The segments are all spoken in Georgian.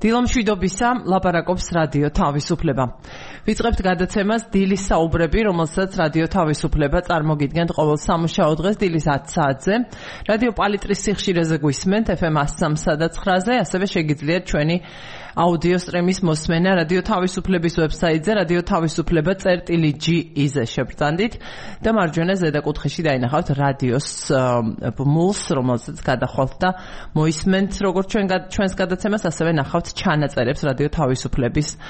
დილამშვიდობისა ლაპარაკობს რადიო თავისუფლება. ვიწყებთ გადაცემას დილის საუბრები, რომელსაც რადიო თავისუფლება წარმოგიდგენთ ყოველ სამუშაო დღეს დილის 10 საათზე. რადიო პალიტრის სიხშირეზე გვისმენთ FM 103 და 9-ზე, ასევე შეგიძლიათ ჩვენი აუდიო სტრიმის მოსმენა რადიო თავისუფლების ვებსაიტზე radiotavisupleba.gi-ზე შევბრძანდით და მარჯვენა ზედაკუთხეში დაინახავთ რადიოს მულს, რომელსაც გადახვალთ და მოისმენთ როგორც ჩვენს გადაცემას, ასევე ნახავთ ჩანაწერებს რადიო თავისუფლების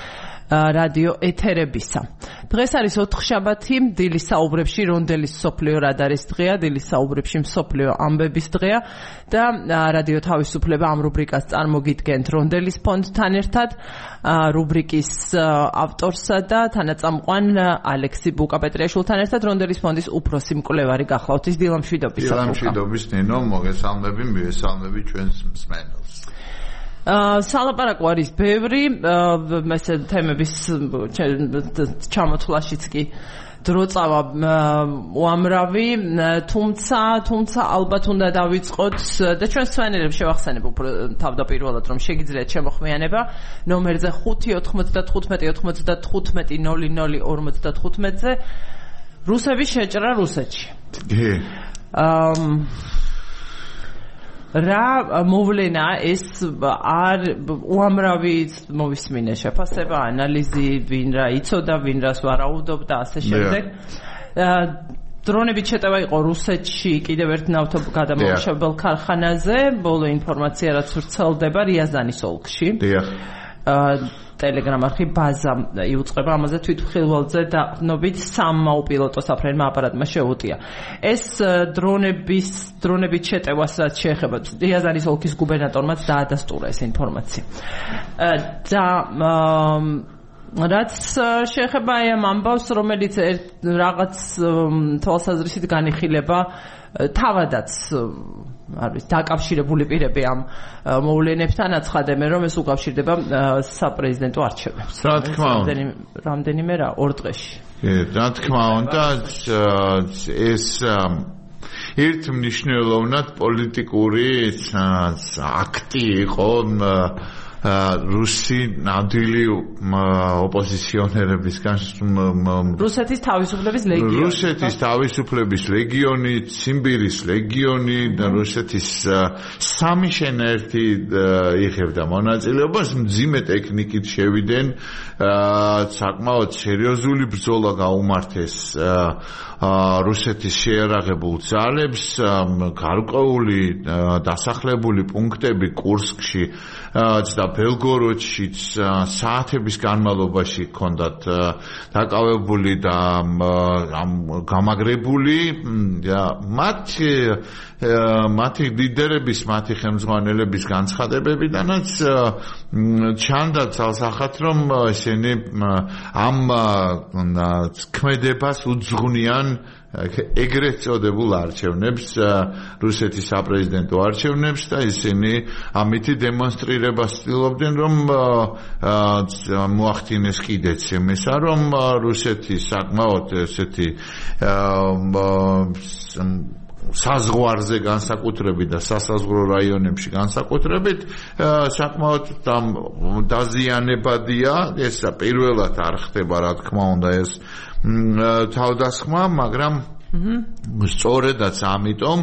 რადიო ეთერებისა. დღეს არის ოთხშაბათი, დილის საუბრებში რონდელის სოფლიო რადარის დღეა, დილის საუბრებში მსოფლიო ამბების დღეა და რადიო თავისუფლება ამ რუბრიკას წარმოგიდგენთ რონდელის ფონდთან ერთად, რუბრიკის ავტორსა და თანაწამყვან ალექსი ბუკაპეტრიაშვილთან ერთად რონდელის ფონდის უფროსი მკვლევარი გახლავთ. დილამშვიდობის. დილამშვიდობის ნინო, მოგესალმები, მივესალმები ჩვენს მსმენელს. სალაპარაკო არის ბევრი, ესე თემების ჩამოთვლაშიც კი დრო წავა უამრავი, თუმცა ალბათ უნდა დავიწყოთ და ჩვენს მსმენელებს შევახსენებ უფრო თავდაპირველად, რომ შეგიძლიათ შემოხმიანება ნომერზე 5-95-95-00-00-55-ზე რუსების შეჭრა რუსეთში. რა მოვლენა ეს არ უამრავი მოვისმინე შეფასება, ანალიზი, ვინ რა იცოდა, ვინ რას ვარაუდობდა, ასე შემდეგ. დრონებით შეტევა იყო რუსეთში კიდევ ერთ ნავთობგადამამუშავებელ ქარხანაზე, ბოლო ინფორმაცია რაც ვრცელდება რიაზანის ოლქში. Telegram arxi baza იუწყება ამაზე თვითმხილველზე დაყრდნობით სამმა უპილოტო საფრენმა აპარატმა შეუტია. ეს დრონებით შეტევას რაც შეეხება რიაზანის ოლქის გუბერნატორმაც დაადასტურა ეს ინფორმაცია. და რაც შეეხება ამ ამბავს, რომელიც რაღაც თვალსაზრისით განიხილება თავადაც არის დაკავშირებული პირები ამ მოვლენებთან, აცხადებენ, რომ ეს უკავშირდება საპრეზიდენტო არჩევნებს. რა თქმა უნდა, რამდენიმე 2 დღეში. რა თქმა უნდა, ეს ერთ მნიშვნელოვნად პოლიტიკური აქტი იყო რუსი ნამდვილი ოპოზიციონერებისგან რუსეთის თავისუფლების ლეგიონი, ციმბირის ლეგიონი და რუსეთის სამი შენერთი იღებდა მონაწილეობას, მძიმე ტექნიკით შევიდნენ, საკმაოდ სერიოზული ბრძოლა გაუმართეს რუსეთის შეიარაღებულ ძალებს, გარკვეული დასახლებული პუნქტები კურსკში და ბელგოროდშიც საათების განმავლობაში ჰქონდათ დაკავებული და გამაგრებული და მათი ლიდერების, მათი ხელმძღვანელების განცხადებებიდანაც ჩანდა ცალსახად, რომ ესენი ამ ქმედებას უძღვნიან ეგრეთ წოდებულ არჩევნებს, რუსეთის საპრეზიდენტო არჩევნებს და ისინი ამითი დემონსტრირებას ცდილობდნენ, რომ მოახდინეს კიდეც იმისა, რომ რუსეთი საკმაოდ ესეთი საზღვარზე განსაკუთრებით და სასაზღვრო რაიონებში განსაკუთრებით საკმაოდ დაზიანებადია. ეს პირველად არ ხდება, რა თქმა უნდა, ეს თავდასხმა, მაგრამ სწორედაც ამიტომ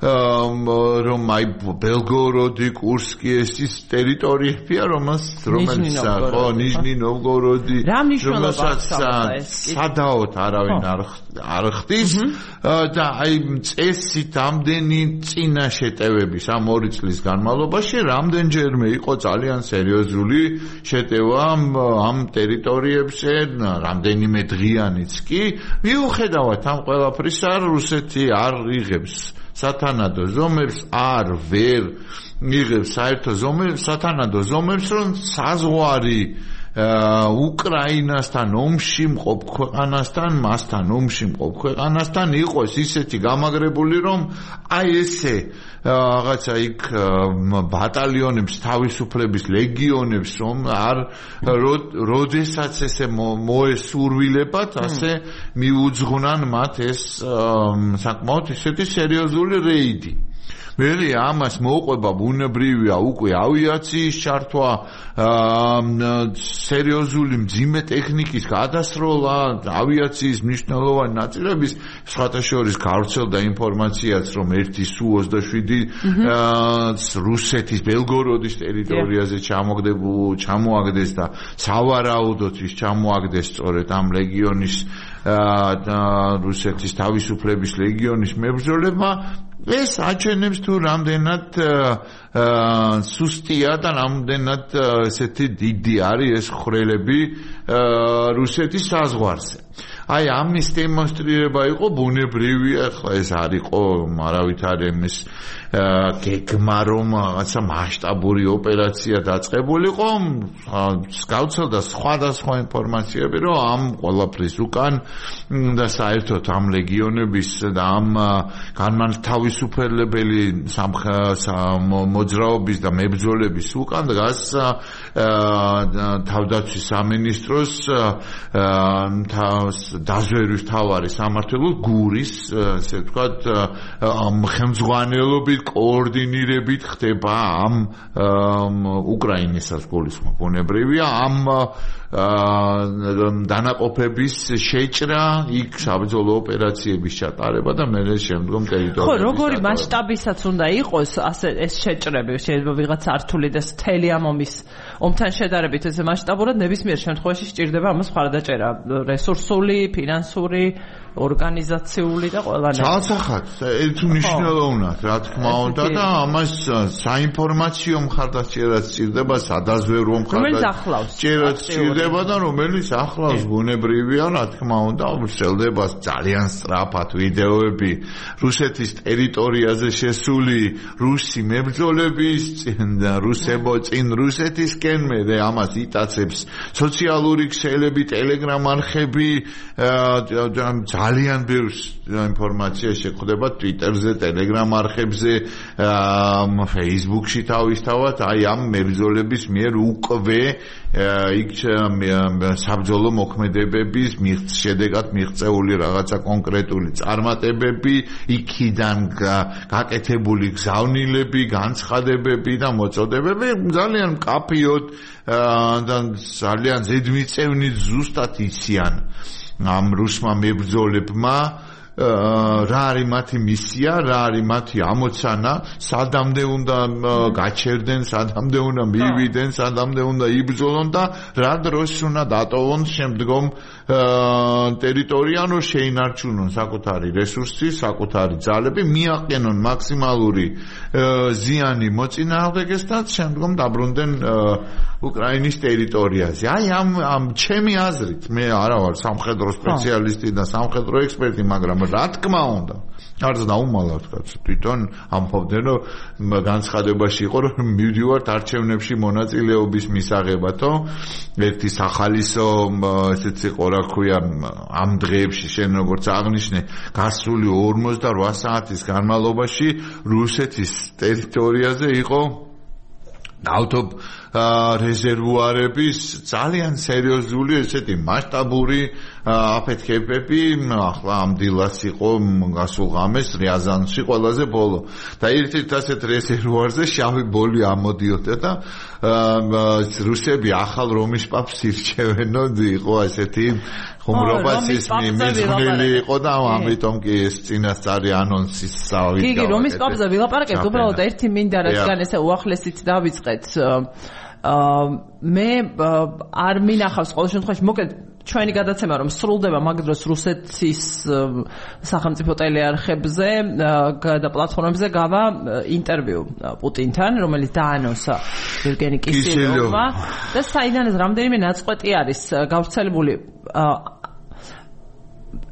რომ აი ბელგოროდი, კურსკი ეს ის ტერიტორიებია, რომელიც ნიჟნი ნოვგოროდი, რომელსაც სადაოდ არავინ არ ხდის და აი წესით ამდენი წინა შეტევების ამ 2 წლის განმავლობაში რამდენჯერმე იყო ძალიან სერიოზული შეტევა ამ ტერიტორიებზე, რამდენიმე დღიანიც კი. მიუხედავად ამ ყველაფრისა, რუსეთი არ იღებს სათანადო ზომებს, ვერ იღებს საერთო ზომებს, სათანადო ზომებს, რომ საზღვარი უკრაინასთან ომში მყოფ ქვეყანასთან, მასთან ომში მყოფ ქვეყანასთან იყოს ისეთი გამაგრებული, რომ აი ესე რაღაცა იქ ბატალიონებს, თავისუფლების ლეგიონებს, რომ არ როდესაც ესე მოესურვილებათ, ასე მიუძღვნან მათ ეს საკმაოდ ისეთი სერიოზული რეიდი. მერე ამას მოყვება ბუნებრივია უკვე ავიაციის ჩართვა, სერიოზული მძიმე ტექნიკის გადასროლა, ავიაციის მნიშვნელოვანი ნაწილების სხვათა შორის გავრცელდა ინფორმაციაც, რომ ერთი Su-27 რუსეთის ბელგოროდის ტერიტორიაზე ჩამოაგდეს და სავარაუდოდ ის ჩამოაგდეს სწორედ ამ ლეგიონის რუსეთის თავისუფლების ლეგიონის მებრძოლებმა. ეს აჩვენებს თუ რამდენად სუსტია და რამდენად ესეთი დიდი არის ეს ხრელები რუსეთის საზღვარზე. აი ამის დემონსტრირება იყო ბუნებრივია, ახლა ეს არ იყო არავითარი იმის გეგმა რომ რაღაცა მასშტაბური ოპერაცია დაწყებულიყო, გავრცელდა სხვადასხვა ინფორმაციები, რომ ამ ყველაფრის უკან და საერთოდ ამ ლეგიონების და ამ განმათავისუფლებელი მოძრაობის და მებრძოლების უკან დგას თავდაცვის სამინისტროს დაზვერვის მთავარი სამმართველო გურის, ასე ვთქვათ, ხელმძღვანელობით კოორდინირებით ხდება ამ უკრაინასაც გულისხმობ ბუნებრივია ამ დანაყოფების შეჭრა, იქ საბრძოლო ოპერაციების ჩატარება და მე შემდგომ ტერიტორიების. ხო, როგორი მასშტაბისაც უნდა იყოს ასე ეს შეჭრები, შეიძლება ვიღაც ართული და მთელი ამ ომთან შედარებით ეს მასშტაბურად ნებისმიერ შემთხვევაში სჭირდება ამას მხარდაჭერა, რესურსული, ფინანსური, ორგანიზაციული და ყველანაირი. ცალსახად, ერთ მნიშვნელოვნად, რა თქმა უნდა და ამას საინფორმაციო მხარდაჭერაც სჭირდება, სადაზვერვო მხარდაჭერაც სჭირდება და რომელიც ახლავს ბუნებრივია, რა თქმა უნდა, ვრცელდება ძალიან სწრაფად ვიდეოები რუსეთის ტერიტორიაზე შესული რუსი მებრძოლების წინ რუსეთისკენ, მე ამას იტაცებს სოციალური ქსელები, ტელეგრამ არხები, ძალიან ბევრი ინფორმაცია შეხვდება Twitter-ზე, Telegram არხებზე, Facebook-ში თავისთავად, აი ამ მებრძოლების მიერ უკვე იქ საბრძოლო მოქმედებების შედეგად მიღწეული რაღაცა კონკრეტული წარმატებები, იქიდან გაკეთებული გზავნილები, განცხადებები და მოწოდებები ძალიან მკაფიოდ და ძალიან ზედმიწევნი ზუსტად იციან ამ რუსმა მებრძოლებმა რა არის მათი მისია, რა არის მათი ამოცანა, სადამდე უნდა გაჩერდნენ, სადამდე უნდა მივიდნენ, სადამდე უნდა იბრძოლონ და რა დროს უნდა დატოვონ შემდგომ ტერიტორია, რომ შეინარჩუნონ საკუთარი რესურსი, საკუთარი ძალები, მიაყენონ მაქსიმალური ზიანი მოწინააღმდეგესთან, შემდგომ დაბრუნდნენ უკრაინის ტერიტორიაზე. აი ამ ჩემი აზრით, მე არა ვარ სამხედრო სპეციალისტი და სამხედრო ექსპერტი, მაგრამ რა თქმა უნდა, არც დაუმალა ვთქვათ, თვითონ ამბობდნენ, რომ განცხადებაში იყო, რომ მივდივართ არჩევნებში მონაწილეობის მისაღებათო, ერთი სახალისო ესეც იყო, რა ქვია, ამ დღეებში შენ როგორც აღნიშნე, გასული 48 საათის განმავლობაში რუსეთის ტერიტორიაზე იყო რეზერვუარების ძალიან სერიოზული ესეთი მასშტაბური აფეთქებები, ახლა ამ დილას იყო გასულ ღამეს რიაზანში ყველაზე ბოლო და ერთ-ერთ ასეთ რეზერვუარზე შავი ბოლი ამოდიოდა და რუსები ახალ რომის პაპს ირჩევენო, იყო ესეთი ხუმრობას ის მიზნელი იყო და ამიტომ კი ეს წინასწარი ანონსის სავით. კი, რომის პაპზე ვილაპარაკებთ, უბრალოდ ერთი მინდა რადგან ესე უახლესით დავიწყეთ. მე არ მინახავს ყოველ შემთხვევაში მოკლედ ჩვენი გადაცემა რომ სრულდება მაგ დროს რუსეთის სახელმწიფო ტელეარხებზე და პლატფორმებზე გავა ინტერვიუ პუტინთან, რომელიც დაანონსა ევგენი კისელოვმა და საიდანაც რამდენიმე ნაწყვეტი არის გავრცელებული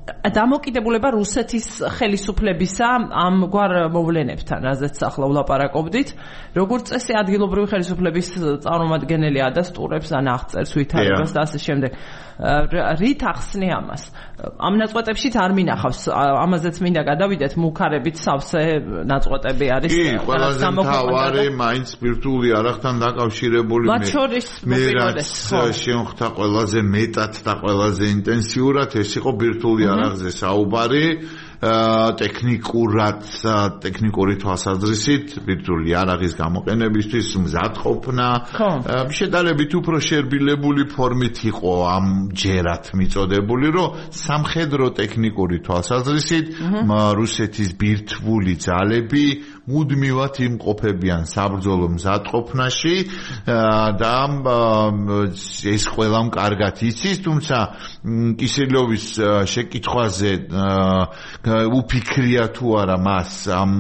დამოკიდებულება რუსეთის ხელისუფლებისა ამგვარ მოვლენებთან, რაზეც ახლა ვლაპარაკობდით, როგორც წესი ადგილობრივი ხელისუფლების წარმომადგენელი ადასტურებს ან აღწერს ვითარებას და ასე შემდეგ. რით ახსნე ამას? ამ ნაწყვეტებშიც არ მინახავს, ამაზეც მინდა გადავიდეთ, მუქარებით სავსე ნაწყვეტები არის. კი, ყველაზე მთავარი მაინც ბირთვული არახთან დაკავშირებული მე რაც შემოხდა ყველაზე მეტად და ყველაზე ინტენსიურად ეს იყო ბირთვული არახზე საუბარი ტექნიკური თვალსაზრისით ბირთვული იარაღის გამოყენებისთვის მზადყოფნა შედარებით უფრო შერბილებული ფორმით იყო ამჯერად მიწოდებული, რომ სამხედრო ტექნიკური თვალსაზრისით რუსეთის ბირთვული ძალები მუდმივად იმყოფებიან საბრძოლო მზადყოფნაში და ეს ყველამ კარგად იცის, თუმცა კისელოვის შეკითხვაზე უფიქრია თუ არა მას ამ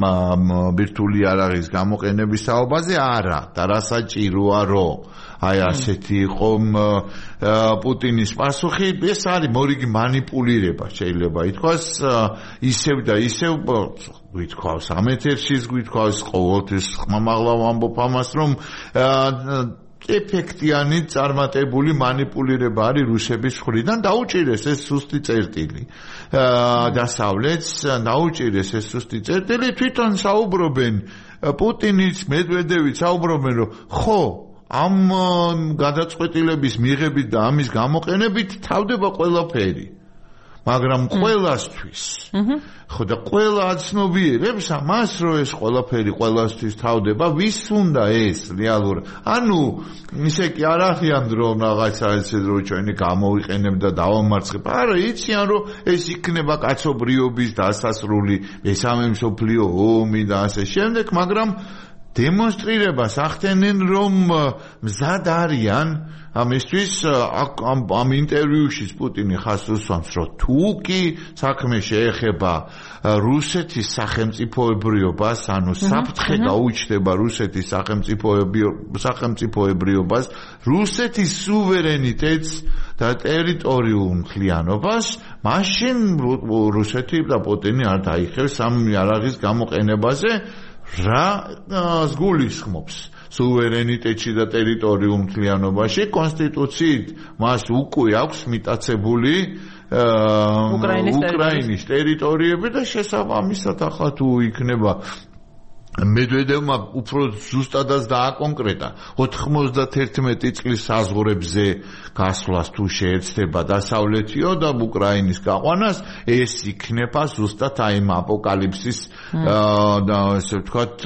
ბირთვული იარაღის გამოყენების საუბაზე არა და რა საჭიროა რომ აი ასეთი იყო პუტინის პასუხი. ეს არის მორიგი манипуლირება შეიძლება ითქვას, ისევ და ისევ გვითქვავს ამ ეთერშიც გვითქვავს ყოველთვის ხმამაღლა ვამბობ ამას, რომ ეფექტიანი წარმატებული манипуლირება არის რუსების მხრიდან. დაუჭირეს ეს სუსტი წერტილი დასავლეთს, დაუჭირეს ეს სუსტი წერტილი, თვითონ საუბრობენ პუტინიც, მედვედევიც საუბრობენ, რომ ხო ამ გადაწყვეტილების მიღებით და ამის გამოყენებით თავდება ყველაფერი, მაგრამ ყველასთვის ხო და ყველა აცნობიერებს ამას, რომ ეს ყველაფერი ყველასთვის თავდება, ვის უნდა ეს რეალურად? ანუ ისე კი არ ახიან რომ რაღაცა ესე რომ ჩვენი გამოვიყენებ და დავამარცხებ. არა, იციან რომ ეს იქნება კაცობრიობის დასასრული, მესამე მსოფლიო ომი და ასე შემდეგ, მაგრამ დემონსტრირებას ახდენენ, რომ მზად არიან ამისთვის. ამ ინტერვიუში პუტინი ხას უსვამს, რომ თუ კი საქმე შეეხება რუსეთის სახელმწიფოებრიობას, ანუ საფრთხე გაუჩნდება რუსეთის სახელმწიფოებრიობას, რუსეთის სუვერენიტეტს და ტერიტორიულ მთლიანობას, მაშინ რუსეთი და პუტინი არ დაიხევს ამ იარაღის გამოყენებაზე. რა გულისხმობს სუვერენიტეტში და ტერიტორიულ მთლიანობაში? კონსტიტუციით მას უკვე აქვს მიტაცებული უკრაინის ტერიტორიები და შესაბამისად ახლა თუ იქნება მედვედევმა უფრო ზუსტადაც დააკონკრეტა 91 წლის საზღვრებზე გასვლას თუ შეეცდება დასავლეთიო და უკრაინის გაყვანას, ეს იქნება ზუსტად აი ამ აპოკალიფსის და ესე ვთქვათ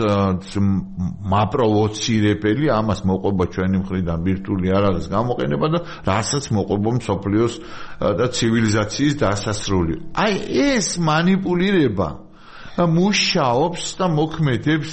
მაპროვოცირებელი, ამას მოყვება ჩვენი მხრიდან ბირთვული იარაღის გამოყენება და რასაც მოყვება მსოფლიოს და ცივილიზაციის დასასრული. აი ეს манипуლირება მუშაობს და მოქმედებს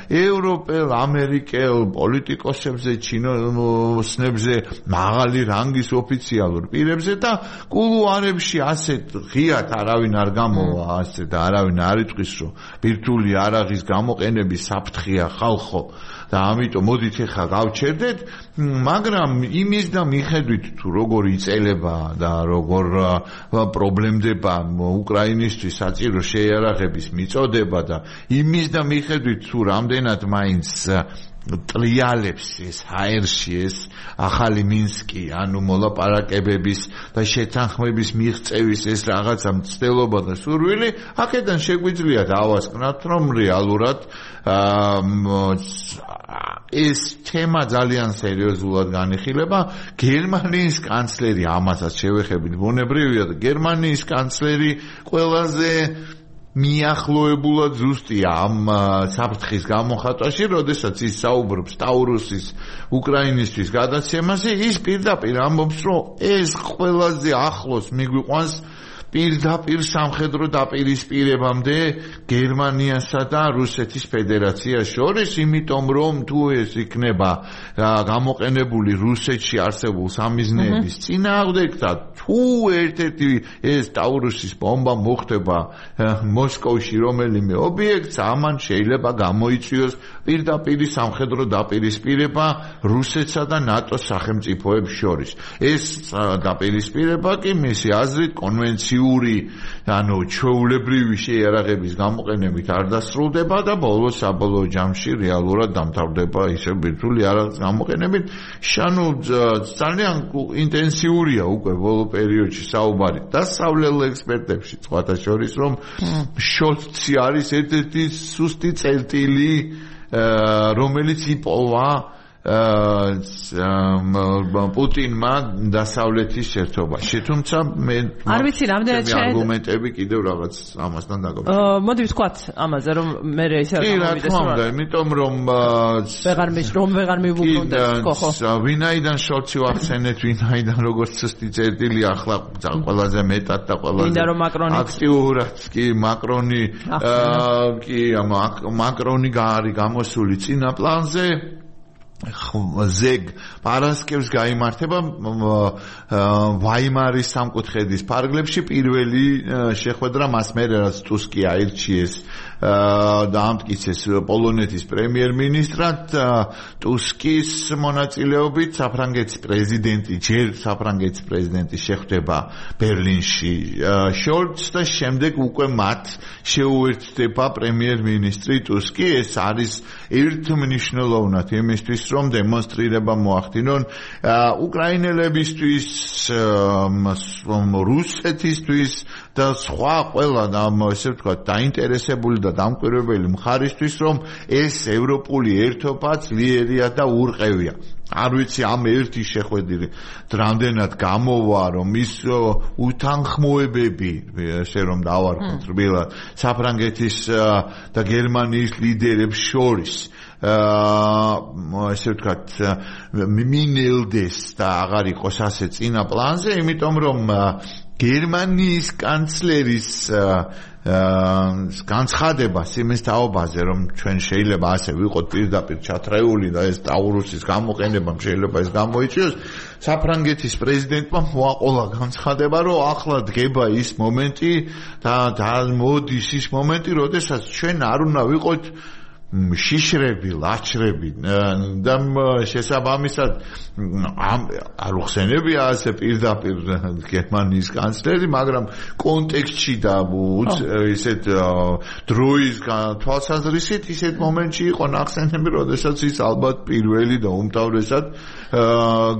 ევროპელ, ამერიკელ პოლიტიკოსებზე, ჩინოსნებზე, მაღალი რანგის ოფიციალურ პირებზე და კულუარებში ასეთ ღიად არავინ არ გამოვა, ასე და არავინ არ იტყვის, რომ ბირთვული იარაღის გამოყენების საფრთხეა ხალხო და ამიტომ მოდით ახლა გავჩერდეთ, მაგრამ იმის და მიხედვით თუ როგორ იწელება და როგორ პრობლემდება უკრაინისთვის საჭირო შეიარაღების მიწოდება და იმის და მიხედვით თუ რამდენად მაინც ტრიალებს ეს ჰაერში ეს ახალი მინსკი, ანუ მოლაპარაკებების და შეთანხმების მიღწევის ეს რაღაცა მცდელობა და სურვილი, აქედან შეგვიძლია დავასკვნათ, რომ რეალურად ეს თემა ძალიან სერიოზულად განიხილება. გერმანიის კანცლერი, ამასაც შევეხებით, ბუნებრივია და გერმანიის კანცლერი ყველაზე მიახლოებულად ზუსტია ამ საფრთხის გამოხატვაში, როდესაც ის საუბრობს ტაურუსის უკრაინისთვის გადაცემაზე, ის პირდაპირ ამბობს, რომ ეს ყველაზე ახლოს მიგვიყვანს პირდაპირ სამხედრო დაპირისპირებამდე გერმანიასა და რუსეთის ფედერაციას შორის, იმიტომ რომ თუ ეს იქნება გამოყენებული რუსეთში არსებულ სამიზნეების წინააღმდეგ და თუ ერთ-ერთი ეს ტაურუსის ბომბა მოხდება მოსკოვში რომელიმე ობიექტს, ამან შეიძლება გამოიწვიოს პირდაპირი სამხედრო დაპირისპირება რუსეთსა და ნატოს სახელმწიფოებს შორის. ეს დაპირისპირება კი მისი აზრით კონვენციური, ანუ ჩვეულებრივი შეიარაღების გამოყენებით არ დასრულდება და საბოლოო ჯამში რეალურად დამთავრდება ისე ბირთვული იარაღის გამოყენებით. ანუ ძალიან ინტენსიურია უკვე ბოლო პერიოდში საუბარი დასავლელ ექსპერტებში, სხვათა შორის, რომ შოლცი არის ერთ-ერთი სუსტი წერტილი, რომელიც იპოვა პუტინმა დასავლეთის ერთობაში. თუმცა მე არ ვიცი რამდენად არგუმენტები კიდევ რაღაც ამასთან დაკავშირებით. მოდი ვთქვათ ამაზე რომ მე ისე არ გამოვიდეს რა. იმიტომ რომ ვეღარ მივუბრუნდეს ხო. ვინაიდან შორცი ვახსენეთ, ვინაიდან როგორც ცუსტი წერტილი ახლა ყველაზე მეტად და ყველაზე აქტიურად კი მაკრონი მაკრონი არის გამოსული წინა პლანზე ზეგ პარასკევს გაიმართება ვაიმარის სამკუთხედის ფარგლებში პირველი შეხვედრა მას მერე რაც ტუსკი აირჩიეს და ამტკიცეს პოლონეთის პრემიერ-მინისტრად ტუსკის მონაწილეობით საფრანგეთის პრეზიდენტი შეხვდება ბერლინში შოლც და შემდეგ უკვე მათ შეუერთდება პრემიერ-მინისტრი ტუსკი ეს არის ერთმნიშვნელოვნად იმისთვის რომ დემონსტრირება მოახდინონ უკრაინელებისთვის რუსეთისთვის და სხვა ყველა ესე ვთქვათ დაინტერესებული და დამკვირვებელი მხარისთვის რომ ეს ევროპული ერთობა ძლიერია და ურყევია არ ვიცი ამ ერთი შეხვედრი რამდენად გამოვა რომ ის უთანხმოებები ესე რომ დავარქოთ რბილად საფრანგეთის და გერმანიის ლიდერებს შორის ესე ვთქვათ მინელდეს და აღარ იყოს ასე წინა პლანზე იმიტომ რომ გერმანიის კანცლერის განცხადებას იმის თაობაზე რომ ჩვენ შეიძლება ასე ვიყოთ პირდაპირ ჩათრეული და ეს ტაურუსის გამოყენება შეიძლება ეს გამოიწვიოს საფრანგეთის პრეზიდენტმა მოაყოლა განცხადება რომ ახლა დგება ის მომენტი და მოდის ის მომენტი როდესაც ჩვენ არ უნდა ვიყოთ შიშრები, ლაჩრები და შესაბამისად არ უხსენებია ასე პირდაპირ გერმანიის კანცლერი, მაგრამ კონტექსტში და ისეთ დროის თვალსაზრისით ისეთ მომენტში იყო ნახსენები, როდესაც ის ალბათ პირველი და უმთავრესად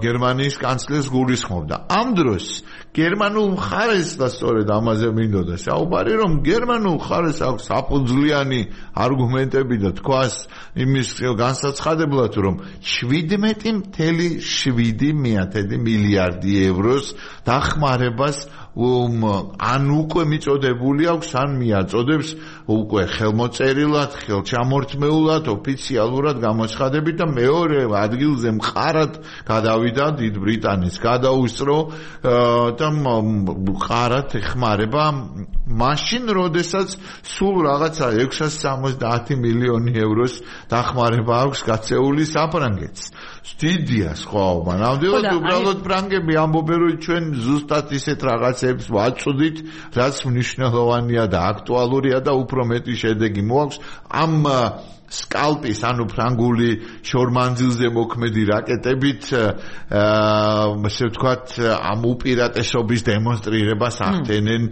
გერმანიის კანცლერს გულისხმობდა. ამ დროს გერმანულ მხარეს და სწორედ ამაზე მინდოდა საუბარი, რომ გერმანულ მხარეს აქვს საფუძვლიანი არგუმენტები და თქვას იმის განსაცხადებლად, რომ 17.7 მილიარდი ევროს დახმარებას ან უკვე მიწოდებული აქვს, ან მიაწოდებს უკვე ხელმოწერილად, ხელჩამორთმეულად, ოფიციალურად გამოცხადებით და მეორე ადგილზე მყარად გადავიდა დიდ ბრიტანეთს, გადაუსწრო და მყარად ეხმარება მაშინ, როდესაც სულ რაღაცა 670 მილიონი ევროს დახმარება აქვს გაწეული საფრანგეთს. დიდია სხვაობა. ნამდვილად უბრალოდ ფრანგები ამბობენ, რომ ჩვენ ზუსტად ისეთ რაღაცებს ვაწვდით, რაც მნიშვნელოვანია და აქტუალურია და უფრო მეტი შედეგი მოაქვს. ამ სკალპის, ანუ ფრანგული შორმანძილზე მოქმედი რაკეტებით, ასე ვთქვათ, ამ უპირატესობის დემონსტრირებას ახდენენ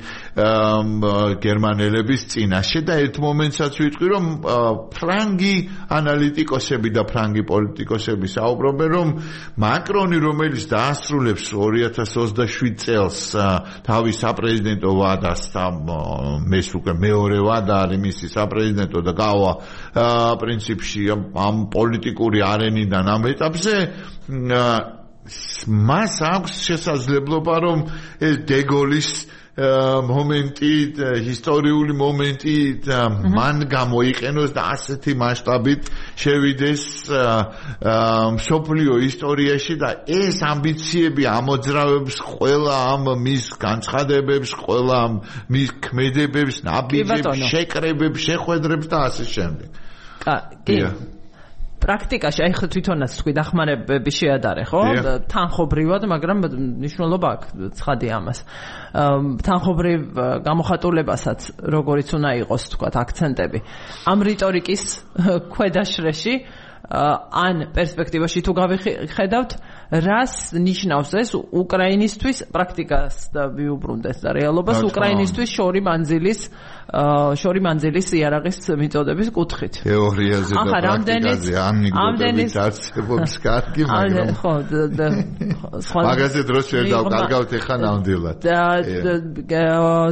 გერმანელების წინაშე და ერთ მომენტსაც ვიტყვი, რომ ფრანგი ანალიტიკოსები და ფრანგი პოლიტიკოსები საუბრობენ, რომ მაკრონი, რომელიც დაასრულებს 2027 წელს თავის საპრეზიდენტო ვადას და ეს უკვე მეორე ვადა არის მისი საპრეზიდენტო და გავა პრინციპში ამ პოლიტიკური არენიდან ამ ეტაპზე მას აქვს შესაძლებლობა რომ ეს დეგოლის მომენტი, ისტორიული მომენტი მან გამოიყენოს და ასეთი მასშტაბით შევიდეს მსოფლიო ისტორიაში და ეს ამბიციები ამოძრავებს ყველა ამ მის განცხადებებს, ყველა ამ მის ქმედებებს, ნაბიჯებს, შეკრებებს, შეხვედრებს და ასე შემდეგ. კი. პრაქტიკაში აი ხო თვითონაც თქვი დახმარებები შეადარე, ხო? თანხობრივად, მაგრამ მნიშვნელობა აქვს ცხადია ამას. თანხობრივ გამოხატულებასაც როგორიც უნდა იყოს, თქვათ, აქცენტები. ამ რიტორიკის ქვედაშრეში ან პერსპექტივაში თუ გავიხედავთ, რას ნიშნავს ეს უკრაინისთვის პრაქტიკას და ვიუბრუნდეთ და რეალობას უკრაინისთვის შორი მანძილის იარაღის მიწოდების კუთხით. თეორიაზე და პრაქტიკაზე ანეკდოტებით არსებობს კარგი, მაგრამ ხო, მაგაზე დროს ვერ დავკარგავთ ეხა ნამდვილად.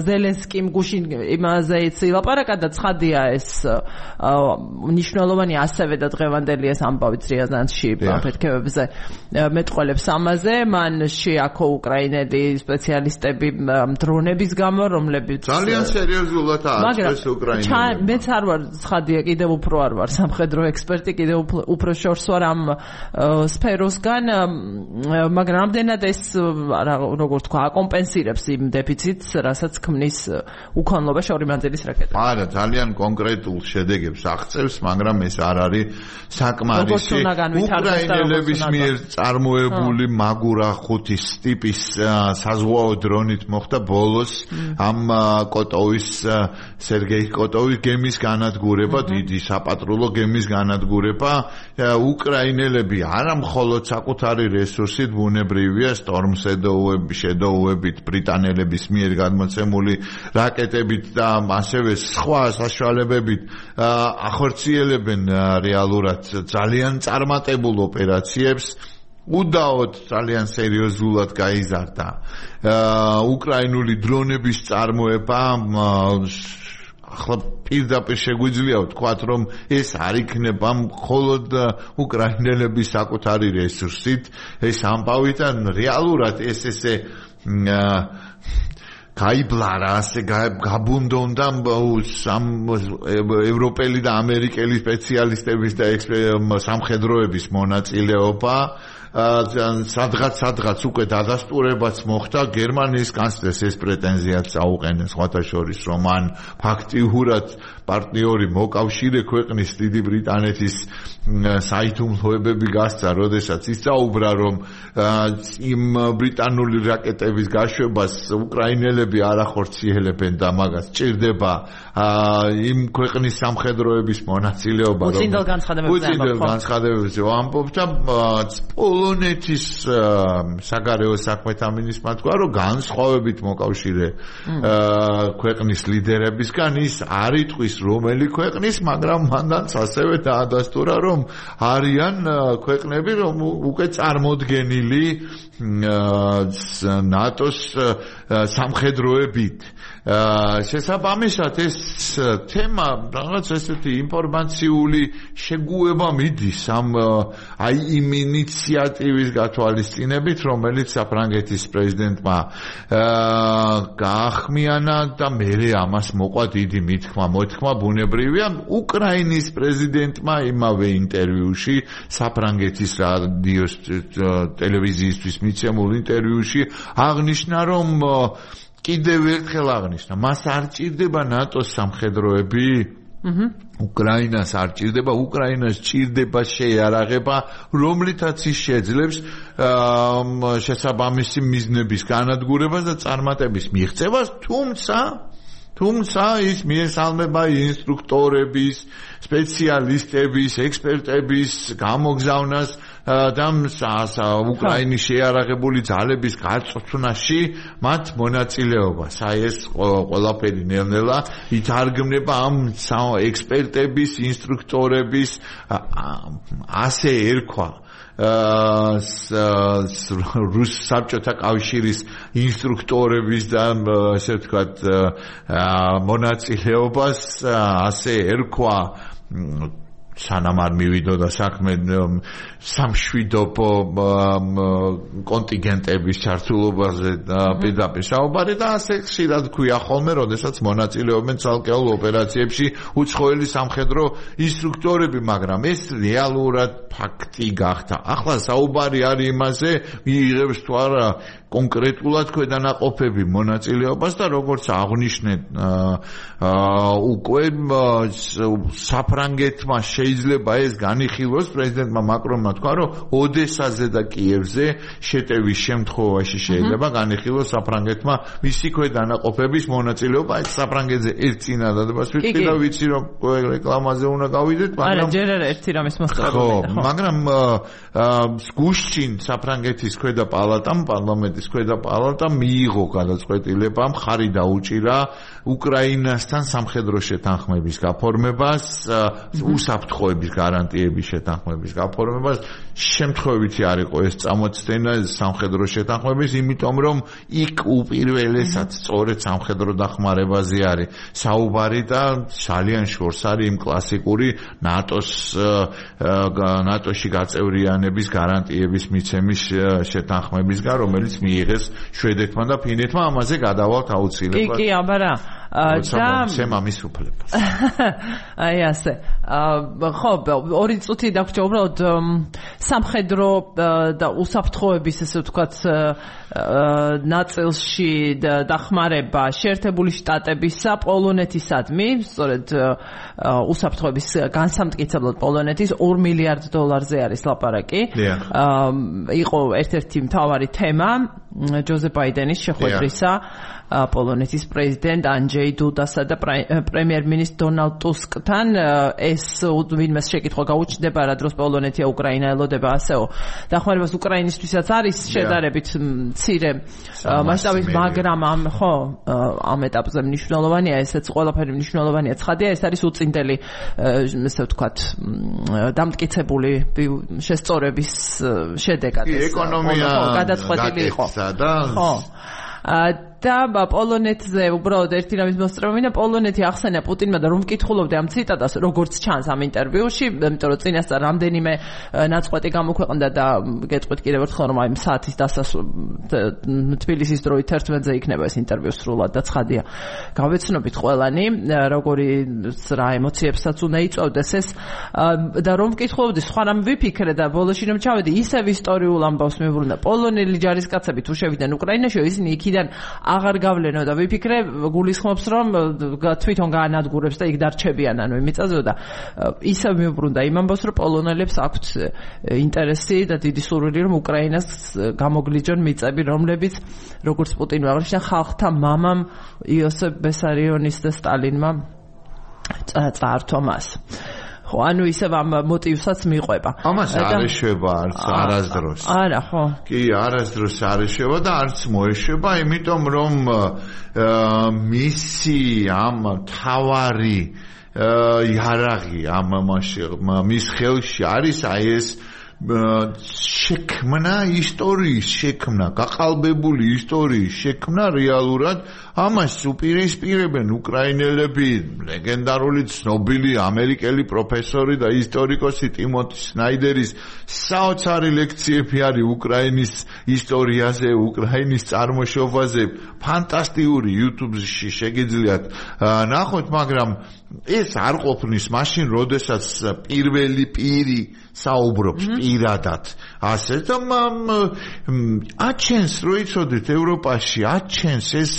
ზელენსკიმ გუშინ იმაზე ილაპარაკა და ცხადია ეს მნიშვნელოვანი ასევე და დღევანდელი წერტილია ამბავით რიაზანში აფეთქებებზე მეტყველებს ამაზე მან შეაქო უკრაინელი სპეციალისტები დრონების გამო რომლებიც ძალიან სერიოზულად ააწეს უკრაინელებს მეც არ ვარ ცხადია კიდევ უფრო არ ვარ სამხედრო ექსპერტი კიდევ უფრო შორს ვარ ამ სფეროსგან მაგრამ რამდენად ეს როგორ თქვა აკომპენსირებს იმ დეფიციტს რასაც ქმნის უკანლობა შორი მანძილის რაკეტა არა ძალიან კონკრეტულ შედეგებს აღწევს მაგრამ ეს არ არის საკმარისი უკრაინელების მიერ წარმოებული მაგურა 5-ის ტიპის საზღვაო დრონით მოხდა ბოლოს ამ კოტოვის სერგეი კოტოვის გემის განადგურება დიდი საპატრულო გემის განადგურება უკრაინელები არა მხოლოდ საკუთარი რესურსით ბუნებრივია შედოუებით ბრიტანელების მიერ გადმოცემული რაკეტებით და ასევე სხვა საშუალებებით ახორციელებენ რეალურად ძალიან წარმატებულ ოპერაციებს უდაოდ ძალიან სერიოზულად გაიზარდა უკრაინული დრონების წარმოება ახლა პირდაპირ შეგვიძლია ვთქვათ რომ ეს არ იქნება მხოლოდ უკრაინელების საკუთარი რესურსით ეს ამბავითან რეალურად ეს ესე გაიბლარა ასე გაბუნდონდა ევროპელი და ამერიკელი სპეციალისტების და სამხედროების მონაწილეობა სადღაც უკვე დადასტურებაც მოხდა გერმანიის კანცლერს ეს პრეტენზიაც აუყენეს სხვათა შორის რომ მან ფაქტიურად პარტნიორი მოკავშირე ქვეყნის დიდი ბრიტანეთის საითუმლოებები გასცა როდესაც ისწაუბრა რომ იმ ბრიტანული რაკეტების გაშვებას უკრაინელები არ ახორციელებენ და მაგას ჭირდება იმ ქვეყნის სამხედროების მონაწილეობა უწინდელ განცხადებებზე ამბობ და პოლონეთის საგარეო საქმეთა მინისტრმა თქვა რომ განსხვავებით მოკავშირე ქვეყნის ლიდერებისგან ის არ იტყვის რომელი ქვეყნის მაგრამ მანდაც ასევე დაადასტურა რომ არიან ქვეყნები რომ უკვე წარმოდგენილი ნატოს სამხედროებით შესაბამისად ეს თემა რაღაც ესეთი ინფორმაციული შეგუება მიდის ამ აი იმ ინიციატივის გათვალისწინებით რომელიც საფრანგეთის პრეზიდენტმა გაახმიანა და მერე ამას მოყვა დიდი მოთქმა ბუნებრივია უკრაინის პრეზიდენტმა იმავე ინტერვიუში საფრანგეთის რადიოს ტელევიზიისთვის მიცემულ ინტერვიუში აღნიშნა რომ კიდევ ერთხელ აღნიშნა მას არ ჭირდება ნატოს სამხედროები უკრაინას არ ჭირდება უკრაინას ჭირდება შეიარაღება რომლითაც ის შეძლებს შესაბამისი მიზნების განადგურებას და წარმატების მიღწევას თუმცა ის მიესალმება ინსტრუქტორების სპეციალისტების ექსპერტების გამოგზავნას და უკრაინის შეიარაღებული ძალების გაწვრთნაში მათ მონაწილეობას. აი ეს ყველაფერი ნელ-ნელა ითარგმნება ამ ექსპერტების, ინსტრუქტორების ასე ერქვა რუს საბჭოთა კავშირის ინსტრუქტორების და ასე ვთქვათ მონაწილეობას ასე ერქვა სანამ არ მივიდოდა საქმე სამშვიდობო კონტინგენტების ჩართულობაზე პირდაპირ საუბარი და ასე ხშირად ქვია ხოლმე, როდესაც მონაწილეობენ ცალკეულ ოპერაციებში უცხოელი სამხედრო ინსტრუქტორები, მაგრამ ეს რეალურად ფაქტი გახდა. ახლა საუბარი არის იმაზე, მიიღებს თუ არა კონკრეტულად ქვედანაყოფები მონაწილეობას და როგორც აღნიშნეთ უკვე საფრანგეთმა შეიძლება ეს განიხილოს პრეზიდენტმა მაკრონმა თქვა რომ ოდესაზე და კიევზე შეტევის შემთხვევაში შეიძლება განიხილოს საფრანგეთმა მისი ქვედანაყოფების მონაწილეობა ეს საფრანგეთზე ერთ წინადადებას ვიტყვი და ვიცი რომ რეკლამაზე უნდა გავიდეთ მაგრამ არა ჯერ არა ერთი რამის მოსწავლე მაგრამ გუშინ საფრანგეთის ქვედა პალატამ პარლამენტის ქვედა პალატამ მიიღო გადაწყვეტილება მხარი დაუჭირა უკრაინასთან სამხედრო შეთანხმების გაფორმებას უსაფრთხო უსაფრთხოების გარანტიების შეთანხმების გაფორმებას შემთხვევითი არ იყო ეს წამოწდენა სამხედრო შეთანხმების, იმიტომ რომ იქ უპირველესად სწორედ სამხედრო დახმარებაზე არის საუბარი და ძალიან შორს არის იმ კლასიკური ნატოში გაწევრიანების გარანტიების მიცემის შეთანხმებისგან, რომელიც მიიღეს შვედეთმა და ფინეთმა, ამაზე გადავალთ აუცილებლად. კი, აბარა. მის უფლებას. აი ასე. ხო, 2 წუთი დაგვრჩა უბრალოდ სამხედრო და უსაფრთხოების ესე ვთქვათ ნაწილში დახმარება შეერთებული შტატებისა პოლონეთისადმი, სწორედ უსაფრთხოების განსამტკიცებლად პოლონეთის $2 მილიარდ არის ლაპარაკი. იყო ერთ-ერთი მთავარი თემა ჯოზეფ ბაიდენის შეხვედრისა პოლონეთის პრეზიდენტ ანჯეი დუდასა და პრემიერ-მინისტრ დონალდ ტუსკთან. ეს ვინმეს შეკითხვა გაუჩნდება, რა დროს პოლონეთი უკრაინა ელოდება ასეო დახმარებას უკრაინისთვისაც არის შედარებით მცირე მასშტაბით, მაგრამ ამ ეტაპზე მნიშვნელოვანია, ესეც ყველაფერი მნიშვნელოვანია. ცხადია, ეს არის უწინდელი ესე ვთქვათ დამტკიცებული შესწორების შედეგად. ეკონომია გადაწყვეტილი იყო. ხო. და პოლონეთზე უბრალოდ ერთი რამის მოსწრებინა, პოლონეთი ახსენა პუტინმა და რომ მკითხულობდე ამ ციტატას, როგორც ჩანს ამ ინტერვიუში, იმიტომ რომ წინასწარ რამდენიმე ნაწყვეტი გამოქვეყნდა და გეტყვით კიდევ ერთხელ, რომ აი საათის თბილისის დროით 11-ზე იქნება ეს ინტერვიუ სრულად და ცხადია. გავეცნობით ყველანი, როგორი რა ემოციებსაც უნდა იწვევდეს ეს და რომ მკითხულობდი, სხვა რამ ვიფიქრე და ბოლოში რომ ჩავედი, ისევ ისტორიულ ამბავს მივუბრუნდა. პოლონელი ჯარისკაცები თუ შევიდნენ უკრაინაში, ისინი იქიდან აღარ გავლენო და ვიფიქრე, გულისხმობს რომ თვითონ გაანადგურებს და იქ დარჩებიან, ანუ იმიწაზეო და ისევ მივუბრუნდა იმ ამბავს, რომ პოლონელებს აქვთ ინტერესი და დიდი სურვილი, რომ უკრაინას გამოგლიჯონ მიწები, რომლებიც როგორც პუტინმა აღნიშნა, ხალხთა მამამ იოსებ ბესარიონის და სტალინმა წაართვა მას. ხო, ანუ ისევ ამ მოტივსაც მიყვება. ამას არ ეშვება არასდროს. არა, ხო. კი, არასდროს არ ეშვება და არც მოეშვება, იმიტომ რომ მისი ამ თავარი იარაღი მის ხელში არის აი ეს შექმნა ისტორიის შექმნა, გაყალბებული ისტორიის შექმნა რეალურად ამას უპირისპირებენ უკრაინელები, ლეგენდარული ცნობილი ამერიკელი პროფესორი და ისტორიკოსი ტიმოთი სნაიდერის საოცარი ლექციები არის უკრაინის ისტორიაზე, უკრაინის წარმოშობაზე, ფანტასტიკური YouTube-ში შეგიძლიათ ნახოთ, მაგრამ ეს არ ყოფნის მაშინ, როდესაც პირველი პირი საუბრობს პირადად ასე და აჩენს რო იცოდეთ ევროპაში აჩენს ეს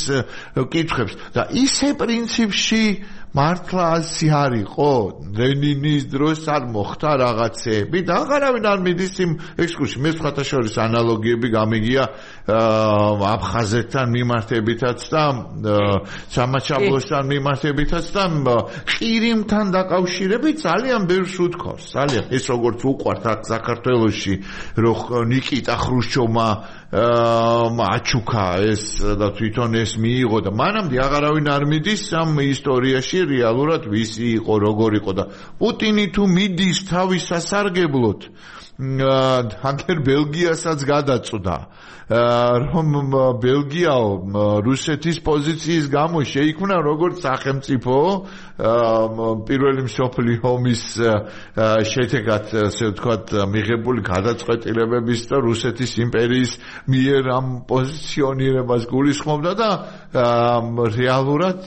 კითხებს და ისე პრინციპში მართლა ასე არისო ლენინის დროს არ მოხდა რაღაცეები და აღარავინ არ მიდის იმ ექსკურსში მე სხვათა შორის ანალოგიები გამიგია აფხაზეთთან მიმართებითაც და სამაჩაბლოსთან მიმართებითაც და ყირიმთან დაკავშირებით ძალიან ბევრს უთქავს ძალიან ეს როგორც უყვართ აქ საქართველოში რომ ნიკიტა ხრუშჩოვმა აჩუქა ეს და თვითონ ეს მიიღო და მანამდე აღარავინ არ მიდის ამ ისტორიაში რეალურად ვისი იყო როგორ იყო და პუტინი თუ მიდის თავის სასარგებლოდ ჰანკერ ბელგიასაც გადაწვდა რომ ბელგიაო რუსეთის პოზიციის გამო შეიქმნა როგორც სახელმწიფო პირველი მსოფლიო ომის შედეგად ასე ვთქვათ მიღებული გადაწყვეტილებების და რუსეთის იმპერიის მიერ ამ პოზიციონირებას გულისხმობდა და რეალურად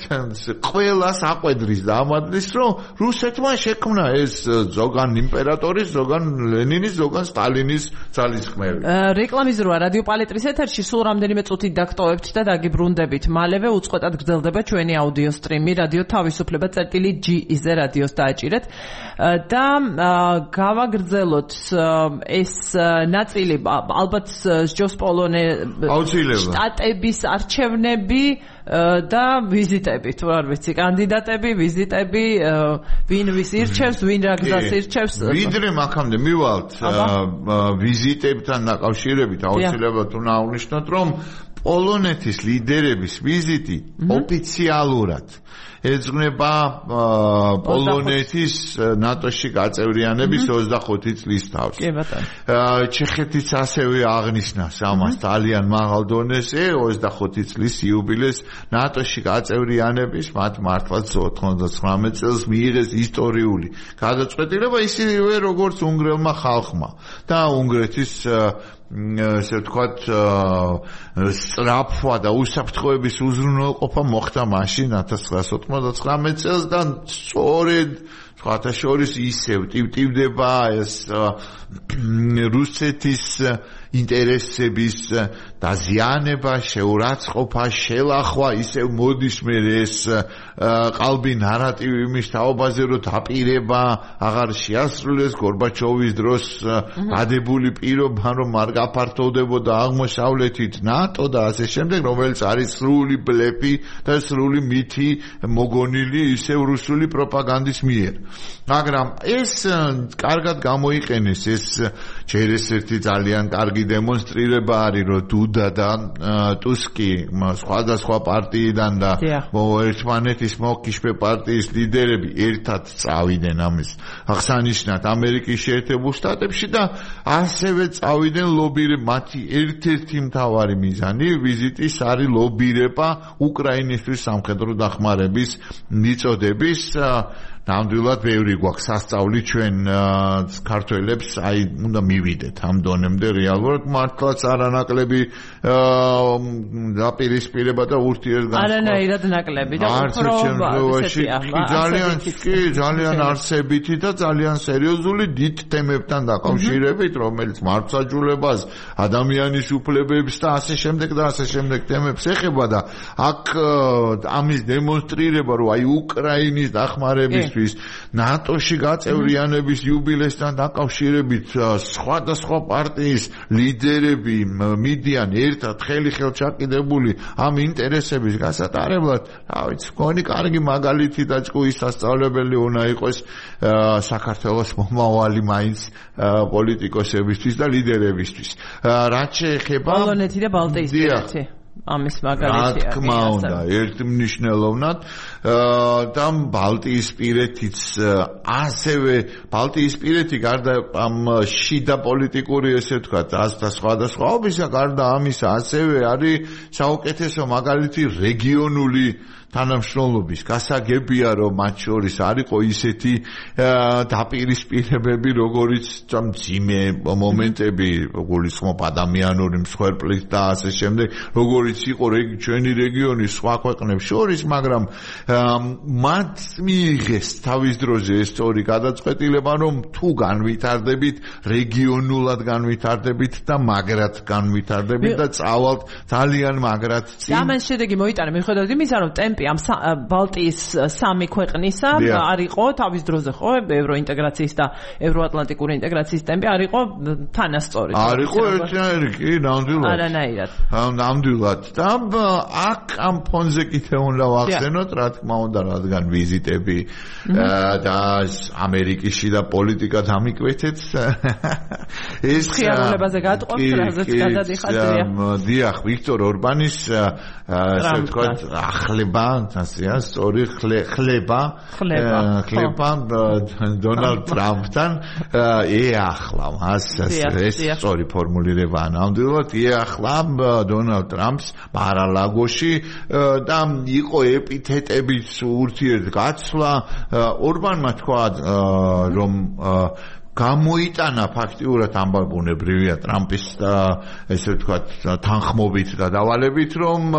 ყველას აყვედრის და ამადლის რომ რუსეთმა შექმნა ეს ზოგან იმპერატორის ზოგან ლენინის ზოგან სტალინის ძალისხმევი რეკლამის როა რადიო პალეტრის ეთერში სულ რამდენიმე წუთით დაგტოვებთ და დაგიბრუნდებით მალევე უწყვეტად გრძელდება ჩვენი აუდიო სტრიმი რადიო თავისუფლება .gi-ზე რადიოს დააჭირეთ და გავაგრძელოთ ეს ნაწილი ალბათ ჯოს პოლონე შტატების არჩევნები და ვიზიტები თუ არ ვიცი კანდიდატები ვიზიტები ვინ ვის ირჩევს ვინ რა გზას ირჩევს ვიდრე აქამდე მივალთ ვიზიტებთან დაკავშირებით აუცილებლად უნდა აღვნიშნოთ რომ პოლონეთის ლიდერების ვიზიტი ოფიციალურად ეძღვნება პოლონეთის ნატოში გაწევრიანების 25 წლის თავს. ჩეხეთის ასევე აღნიშნავს ამას ძალიან მაღალ დონეზე 25 წლის იუბილეს ნატოში გაწევრიანების მათ მართლაც 99 წელს მიიღეს ისტორიული გადაწყვეტილება ისევე როგორც უნგრელმა ხალხმა და უნგრეთის ესე ვთქვათ სწრაფვა და უსაფრთხოების უზრუნველყოფა მოხდა მაშინ 1999 წელს და სწორედ სხვათა შორის ისევ ტივტივდება ეს რუსეთის ინტერესების დაზიანება, შეურაცხყოფა, შელახვა, ისევ მოდის მე ეს ყალბი ნარატივი იმის თაობაზე, რომ დაპირება აღარ შეასრულეს გორბაჩოვის დროს გადებული პირობა, რომ არ გაფართოვდებოდა აღმოსავლეთით ნატო და ასე შემდეგ, რომელიც არის სრული ბლეფი და სრული მითი მოგონილი ისევ რუსული პროპაგანდის მიერ. მაგრამ ეს კარგად გამოიყენეს ეს ჯერ ერთი ძალიან კარგი დემონსტრირება არის რომ დუდა და ტუსკი სხვადასხვა პარტიიდან და ერთმანეთის მოკიშფე პარტიის ლიდერები ერთად წავიდნენ ამის აღსანიშნად ამერიკის შეერთებულ შტატებში და ასევე წავიდნენ ლობირება მათი ერთ-ერთი მთავარი მიზანი ვიზიტის არის ლობირება უკრაინისთვის სამხედრო დახმარების მიწოდების ნამდვილად ბევრი გვაქვს სასწაული ჩვენ ქართველებს აი უნდა მივიდეთ ამ დონემდე რეალურად მართლაც არანაკლები დაპირისპირება და ურთიერთგანწყობა არანაირად ნაკლები და უფრო ძალიან არსებითი და ძალიან სერიოზული დიდ თემებთან დაკავშირებით რომელიც მართლმსაჯულებას ადამიანის უფლებებს და ასე შემდეგ და ასე შემდეგ თემებს ეხება და აქ ამის დემონსტრირება რომ აი უკრაინის დახმარების ნატოში გაწევრიანების იუბილესთან დაკავშირებით სხვადასხვა პარტიის ლიდერები მიდიან ერთად ხელი-ხელ ჩაკიდებული ამ ინტერესების გასატარებლად, რა ვიცი, მგონი კარგი მაგალითი და ჭკუის სასწავლებელი უნდა იყოს საქართველოს მომავალი მაინც პოლიტიკოსებისთვის და ლიდერებისთვის. რაც შეეხება პოლონეთი და ბალტიისპირეთი ამის მაგალითია. რა თქმა უნდა, ერთმნიშვნელოვნად და ბალტიისპირეთიც ასევე ბალტიისპირეთი გარდა ამ შიდა პოლიტიკური ესე ვთქვათ, და სხვადასხვაობისა გარდა ამისა ასევე არის საუკეთესო მაგალითი რეგიონული თანამშრომლობის გასაგებია რომ მათ შორის არისო ისეთი დაპირისპირებები როგორიც მძიმე მომენტები გულისხმობ ადამიანური მსხვერპლით და ასე შემდეგ როგორიც იყო ჩვენი რეგიონის სხვა ქვეყნებს შორის მაგრამ მათ მიიღეს თავის დროზე ეს სწორი გადაწყვეტილება რომ თუ განვითარდებით რეგიონულად განვითარდებით და მაგრად განვითარდებით და წავალთ ძალიან მაგრად წინ და ამან შედეგი მოიტანა მიუხედავად იმისა რომ ტემპი ამ ბალტიის სამი ქვეყნისა არისო თავის დროზე ხო ევროინტეგრაციის და ევროატლანტიკური ინტეგრაციის ტემპი არისო თანასწორი არისო ერთნაირი კი ნამდვილად არანაირად ნამდვილად და აქ ამ ფონზე კიდე უნდა ვახსენოთ რა თქმა უნდა რადგან ვიზიტები და ამერიკაში და პოლიტიკა დამიკვეთეთ ეს ხიარულებაზე გატყობს რაზეც გადადიხართ დიახ ვიქტორ ორბანის ასე ვთქვათ ახლება ასეა სწორი ხლება დონალდ ტრამპთან ეახლა მას ეს სწორი ფორმულირებაა ნამდვილად ეახლა დონალდ ტრამპს მარალაგოში და იყო ეპითეტების ურთიერთგაცვლა ორბანმა თქვა რომ გამოიტანა ფაქტიურად ამბებუნებრივია ტრამპის ესე ვთქვათ თანხმობით და დავალებით რომ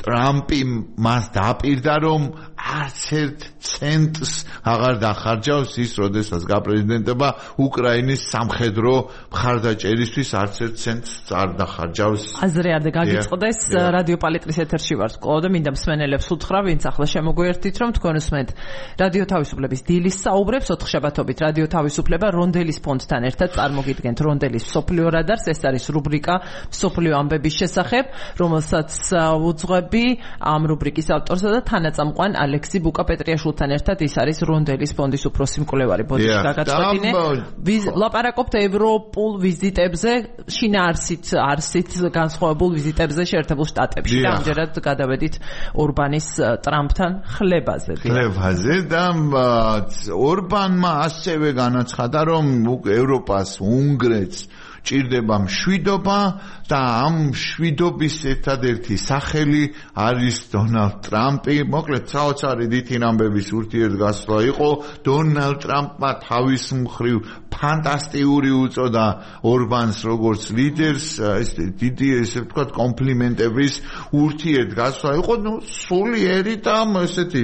ტრამპი მას დაპირდა რომ არც ერთ ცენტს აღარ დახარჯავს ის როდესაც გაპრეზიდენტება უკრაინის სამხედრო მხარდაჭერისთვის არც ერთ ცენტს არ დახარჯავს აზრი არ გაგიწყდეს რადიო პალიტრის ეთერში ვართ კოლო და მინდა მსმენელებს უთხრა ვინც ახლა შემოგვიერთდით რომ თქვენ უსმენთ რადიო თავისუფლების დილის საუბრებს 4 შაბათობით რადიო თავისუფლება რონდელის ფონდთან ერთად წარმოგიდგენთ რონდელის მსოფლიო რადარს ეს არის რუბრიკა მსოფლიო ამბების შესახებ რომელსაც უძღვები ამ რუბრიკის ავტორსა და თანაწამყვან ალექსი ბუკა-პეტრიაშვილთან ერთად ის არის რონდელის ფონდის უფროსი მკვლევარი ბოდიში გაგაწყვეტინე. ლაპარაკობთ ევროპულ ვიზიტებზე, არსით განსხვავებულ ვიზიტებზე შეერთებულ შტატებში და ამჯერად გადავედით ორბანის ტრამპთან ხლებაზე. და ორბანმა ასევე განაცხადა, რომ ევროპას, უნგრეთს ჭირდება მშვიდობა და ამ მშვიდობის ერთადერთი სახელი არის დონალდ ტრამპი. მოკლედ საოცარი დიდი ამბების ურთიერთგასვლა იყო. დონალდ ტრამპმა თავის მხრივ ფანტასტიკური უწოდა ორბანს როგორც ლიდერს, ეს დიდი ესე ვთქვათ კომპლიმენტების ურთიერთგასვლა იყო. სულიერი და ესეთი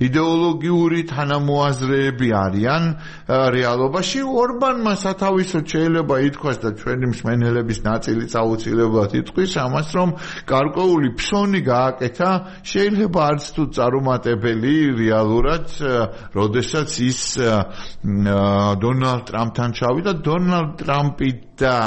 იდეოლოგიური თანამოაზრეები არიან რეალობაში. ორბანმა სათავისოდ შეიძლება ითქვას და ჩვენი მსმენელების ნაწილი აუცილებლად იტყვის ამას, რომ გარკვეული ფსონი გააკეთა, შეიძლება არც თუ წარუმატებელი რეალურად, როდესაც ის დონალდ ტრამპთან ჩავიდა. დონალდ ტრამპი და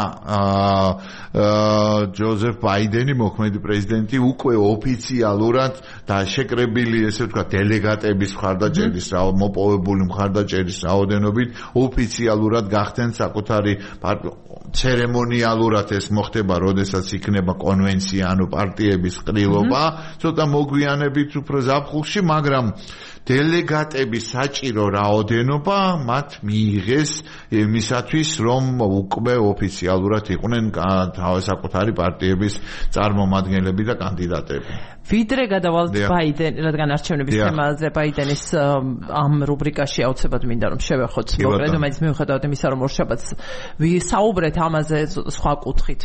ჯოზეფ ბაიდენი, მოქმედი პრეზიდენტი, უკვე ოფიციალურად და შეკრებილი, ესე ვთქვათ, დელეგატების მხარდაჭერის, მოპოვებული მხარდაჭერის რაოდენობით ოფიციალურად გახდნენ საკუთარი ცერემონიალურად ეს მოხდება, როდესაც იქნება კონვენცია, ანუ პარტიების ყრილობა, ცოტა მოგვიანებით უფრო ზაფხულში, მაგრამ დელეგატების საჭირო რაოდენობა მათ მიიღეს იმისათვის, რომ უკვე ოფიციალურად იყვნენ საკუთარი პარტიების წარმომადგენლები და კანდიდატები. ვიდრე გადავალთ ბაიდენ, რადგან არჩევნების თემაზე ბაიდენის ამ რუბრიკაში აუცილებლად მინდა რომ შევეხოთ. მოკლედ, მაინც მიუხედავად იმისა, რომ ორშაბათს ვისაუბრეთ ამაზე სხვა კუთხით.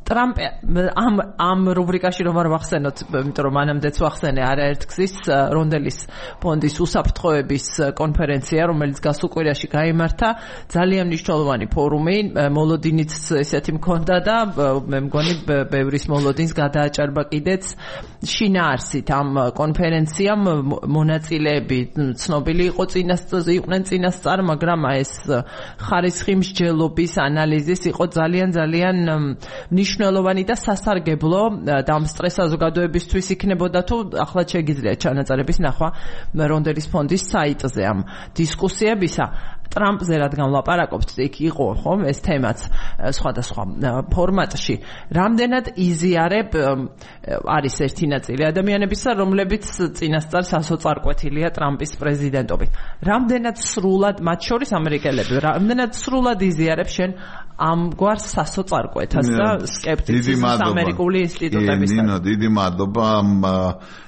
ტრამპ ამ რუბრიკაში რომ არ ვახსენოთ, იმიტომ რომ მანამდეც ვახსენე არაერთგზის რონდელის ფონდის უსაფრთხოების კონფერენცია, რომელიც გასულ კვირაში გაიმართა, ძალიან მნიშვნელოვანი ფორუმი, მოლოდინიც ესეთი მქონდა და მე მგონი ბევრის მოლოდინს გადააჭარბა კიდეც. შინაარსით ამ კონფერენციამ მონაწილეები ცნობილი იყვნენ წინასწარ, მაგრამ ეს ხარისხი მსჯელობის ანალიზის იყო ძალიან მნიშვნელოვანი და სასარგებლო და ამ სტრეს საზოგადოებისთვის იქნებოდა თუ ახლა შეგიძლიათ ჩანაწერების ნახვა რონდელის ფონდის საიტზე ამ დისკუსიებისა. ტრამპზე რადგან ვლაპარაკობთ, იქ იყო ხომ ეს თემაც სხვადასხვა ფორმატში. რამდენად იზიარებ არის ერთი ნაწილი ადამიანებისა, რომლებიც წინასწარ სასოწარკვეთილია ტრამპის პრეზიდენტობით. რამდენად სრულად, მათ შორის ამერიკელები, რამდენად სრულად იზიარებ შენ ამგვარ სასოწარკვეთას და სკეპტიციზმს ამერიკული ინსტიტუტებისგან. ნინო, დიდი მადლობა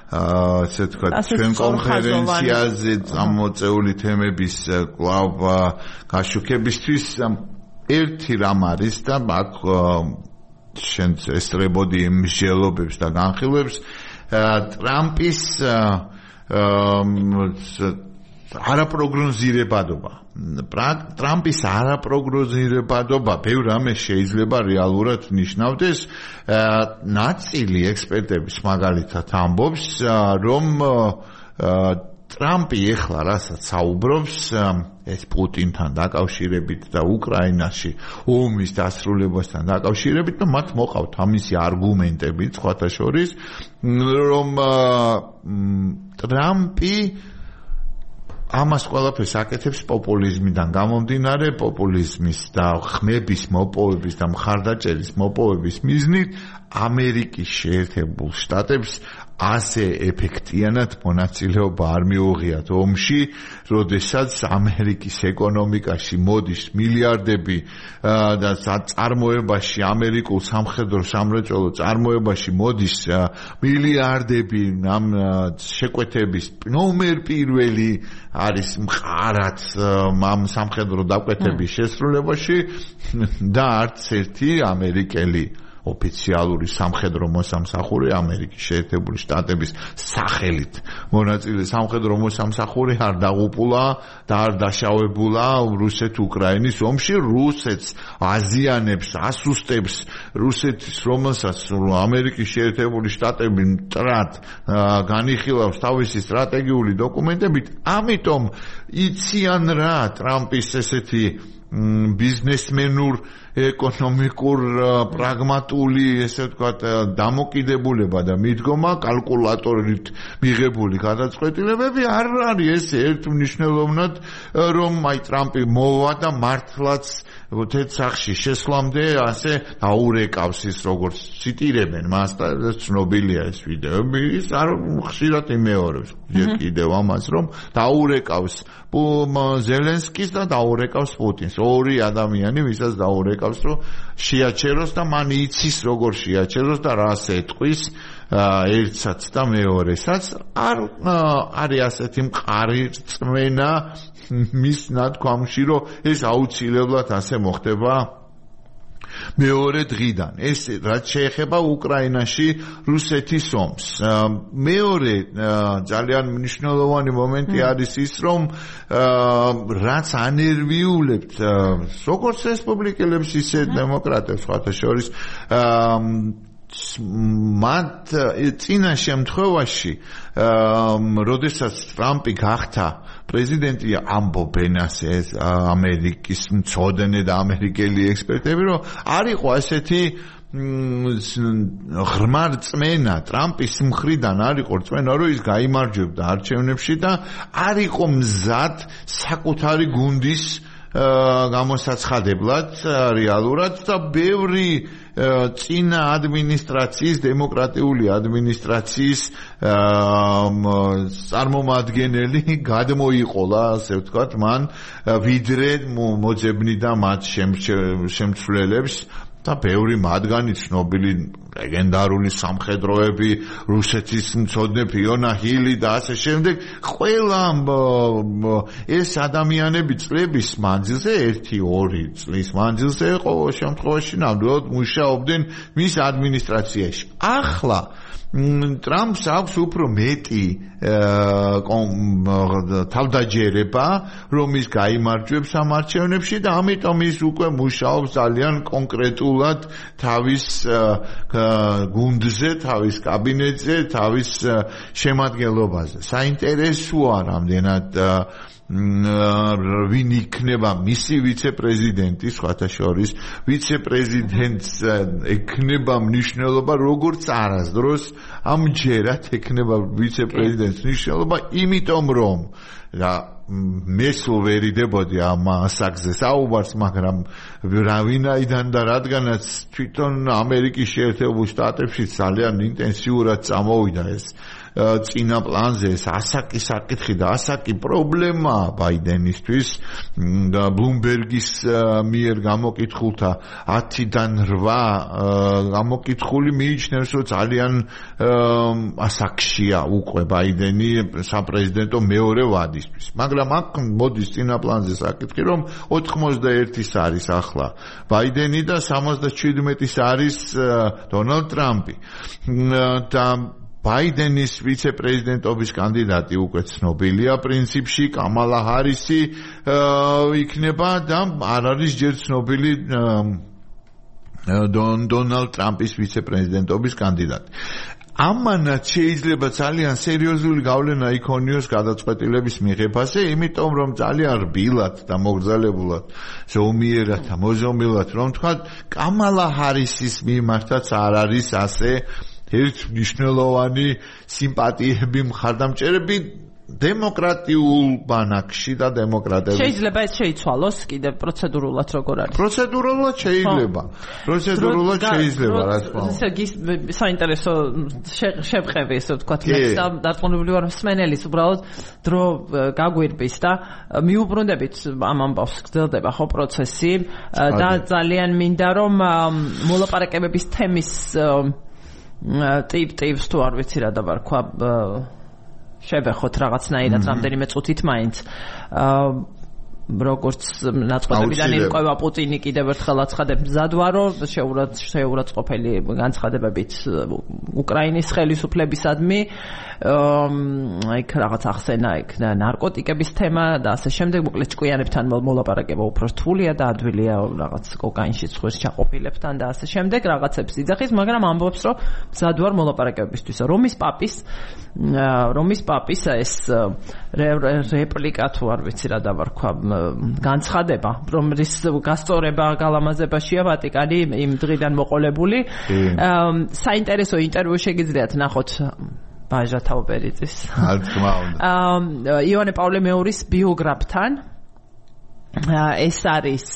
ასე თქვა ჩვენ კონფერენციაზე წამოწეული თემების კვლავ გაშუქებისთვის ერთი რამ არის და აქ შენ ესწრებოდი მსჯელობებს და განხილვებს ტრამპის არაპროგნოზირებადობა. ტრამპის არაპროგნოზირებადობა ბევრ რამეს შეიძლება რეალურად ნიშნავდეს. ნაწილი ექსპერტების მაგალითად ამბობს, რომ ტრამპი ეხლა რასაც საუბრობს ეს პუტინთან დაკავშირებით და უკრაინაში ომის დასრულებასთან დაკავშირებით, და მათ მოყავთ ამისი არგუმენტები, სხვათა შორის, რომ ტრამპი ამას ყველაფერს აკეთებს პოპულიზმიდან გამომდინარე, პოპულიზმის და ხმების მოპოვების და მხარდაჭერის მოპოვების მიზნით ამერიკის შეერთებულ შტატებს ასე ეფექტიანად მონაწილეობა არ მიუღიათ ომში, როდესაც ამერიკის ეკონომიკაში მოდის მილიარდები და წარმოებაში, ამერიკულ სამხედრო სამრეწველო წარმოებაში მოდის მილიარდები ამ შეკვეთების ნომერ პირველი არის მყარად ამ სამხედრო დაკვეთების შესრულებაში და არც ერთი ამერიკელი ოფიციალური სამხედრო მოსამსახური ამერიკის შეერთებული შტატების სახელით მონაწილე სამხედრო მოსამსახური არ დაღუპულა და არ დაშავებულა რუსეთ-უკრაინის ომში. რუსეთს აზიანებს, ასუსტებს რუსეთის, რომელსაც ამერიკის შეერთებული შტატები მტრად განიხილავს თავისი სტრატეგიული დოკუმენტებით. ამიტომ იციან რა ტრამპის ესეთი ბიზნესმენურ ეკონომიკურ პრაგმატული ესე ვთქვათ დამოკიდებულება და მიდგომა კალკულატორით მიღებული გადაწყვეტილებები არ არის ეს ერთმნიშვნელოვნად რომ აი ტრამპი მოვა და მართლაც თეთრ შესვლამდე ასე აურეკავს ის როგორც ციტირებენ მას და ცნობილია ეს ვიდეოები ის არ ხშირად იმეორებს კიდევ ამას რომ დაურეკავს ზელენსკის და დაურეკავს პუტინს ორი ადამიანი ვისაც დაურეკავს რომ შეაჩეროს და მან იცის როგორ შეაჩეროს და რას ეტყვის ერთსაც და მეორესაც არ არის ასეთი მყარი რწმენა მის ნათქვამში რომ ეს აუცილებლად ასე მოხდება მეორე დღიდან ეს რაც შეეხება უკრაინაში რუსეთის ომს მეორე ძალიან მნიშვნელოვანი მომენტი არის ის რომ რაც ანერვიულებთ როგორც რესპუბლიკელებს ისე დემოკრატებს სხვათა შორის მათ წინა შემთხვევაში როდესაც ტრამპი გახდა პრეზიდენტი ამბობენ ასე ამერიკის მცოდნე და ამერიკელი ექსპერტები რომ არ იყო ასეთი ღრმა რწმენა ტრამპის მხრიდან არ იყო რწმენა რომ ის გაიმარჯვებდა არჩევნებში და არ იყო მზად საკუთარი გუნდის გამოსაცხადებლად რეალურად და ბევრი წინა ადმინისტრაციის დემოკრატიული ადმინისტრაციის წარმომადგენელი გადმოიყოლა ასე ვთქვათ მან ვიდრე მოძებნიდა მათ შემცვლელებს და ბევრი მათგანი ცნობილი ლეგენდარული სამხედროები რუსეთის მცოდნე ფიონა ჰილი და ასე შემდეგ ყველა ეს ადამიანები წლების მანძილზე 1-2 წლის მანძილზე ყოველ შემთხვევაში ნამდვილად მუშაობდნენ მის ადმინისტრაციაში ახლა ტრამპს აქვს უფრო მეტი თავდაჯერება რომ ის გაიმარჯვებს ამ არჩევნებში და ამიტომ ის უკვე მუშაობს ძალიან კონკრეტულად თავის გუნდზე, თავის კაბინეტზე, თავის შემადგენლობაზე. საინტერესოა რამდენად ვინ იქნება მისი ვიცე-პრეზიდენტი, სხვათა შორის, ვიცე-პრეზიდენტს ექნება მნიშვნელობა როგორც არასდროს ამჯერად ექნება ვიცე-პრეზიდენტს მნიშვნელობა, იმიტომ რომ და მე სულ ვერ იდებოდი ამ ასაკზე საუბარს, მაგრამ ვინაიდან და რადგანაც თვითონ ამერიკის შეერთებულ შტატებში ძალიან ინტენსიურად წამოვიდა ეს წინა პლანზე ეს ასაკი საკითხი და ასაკი პრობლემა ბაიდენისთვის და ბლუმბერგის მიერ გამოკითხულთა 10-დან 8 გამოკითხული მიიჩნევს რომ ძალიან ასაკშია უკვე ბაიდენი საპრეზიდენტო მეორე ვადისთვის მაგრამ აქ მოდის წინა პლანზე საკითხი რომ 91-ის არის ახლა ბაიდენი და 77-ის არის დონალდ ტრამპი და ბაიდენის ვიცე-პრეზიდენტობის კანდიდატი უკვე ცნობილია პრინციპში კამალა ჰარისი იქნება და არ არის ჯერ ცნობილი დონალდ ტრამპის ვიცე-პრეზიდენტობის კანდიდატი ამანაც შეიძლება ძალიან სერიოზული გავლენა იქონიოს გადაწყვეტილების მიღებაზე, იმიტომ რომ ძალიან რბილად და მოგრძალებულად ზომიერად და მოზომილად რომ თქვა, კამალა ჰარისის მიმართაც არ არის ასე ერთმნიშვნელოვანი სიმპათიები მხარდამჭერები დემოკრატიულ ბანაკში და დემოკრატები შეიძლება ეს შეიცვალოს კიდევ პროცედურულად როგორ არის პროცედურულად შეიძლება რა თქმა უნდა საინტერესო შევყევი ესე ვთქვათ მე დარწმუნებული ვარ მსმენელის უბრალოდ დრო გაგვირბის და მიუბრუნდებით ამ ამბავს გრძელდება ხო პროცესი და ძალიან მინდა რომ მოლაპარაკებების თემის ტიპს თუ არ ვიცი რა დავარქვა შევეხოთ რაღაცნაირად რამდენიმე წუთით მაინც როგორც ნაწყვეტებიდან ირკვევა პუტინი კიდევ ერთხელ აცხადებს მზად ვარო შეურაცხყოფელი განცხადებებით უკრაინის ხელისუფლებისადმი იქ რაღაც ახსენა იქ ნარკოტიკების თემა და ასე შემდეგ მოკლედ ჭკვიანებთან მოლაპარაკება უფრო რთულია და ადვილია რაღაც კოკაინში ცხვირს ჩაყოფილებთან და ასე შემდეგ რაღაცებს იძახის მაგრამ ამბობს რომ მზად ვარ მოლაპარაკებებისთვის რომის პაპის ეს რეპლიკა თუ არ ვიცი რა დავარქვა განცხადება, რომ რის გასწორება გალამაზებაშია ვატიკანი იმ დღიდან მოყოლებული. საინტერესო ინტერვიუ შეგიძლიათ ნახოთ ბაჟა თაუბერიძის. თქმა უნდა. იოანე პავლე მეორის ბიოგრაფთან. ეს არის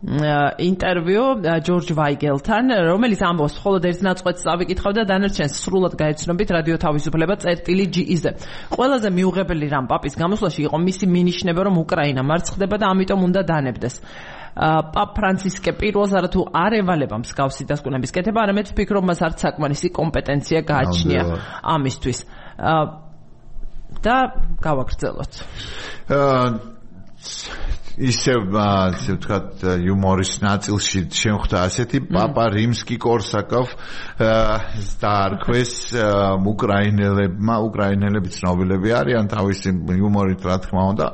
ინტერვიუ ჯორჯ ვაიგელთან, რომელიც ამბობს, მხოლოდ ერთ ნაწყვეტს წავიკითხავ და დანარჩენს სრულად გაეცნობით რადიო თავისუფლება წერტილი.gz-ზე. ყველაზე მიუღებელი რამ პაპის გამოსვლაში იყო მისი მინიშნება, რომ უკრაინა მარცხდება და ამიტომ უნდა დანებდეს. პაპ ფრანცისკე პირველს არათუ არ ევალება მსგავსი დასკვნების კეთება, არამედ ვფიქრობ, მას არც საკმარისი კომპეტენცია გააჩნია ამისთვის. და გავაგრძელოთ. ისევ ვთქვათ იუმორის ნაწილში შემხვდა ასეთი პაპა რიმსკი-კორსაკოვ დაარქვეს უკრაინელები ცნობილები არიან თავისი იუმორით რა თქმა უნდა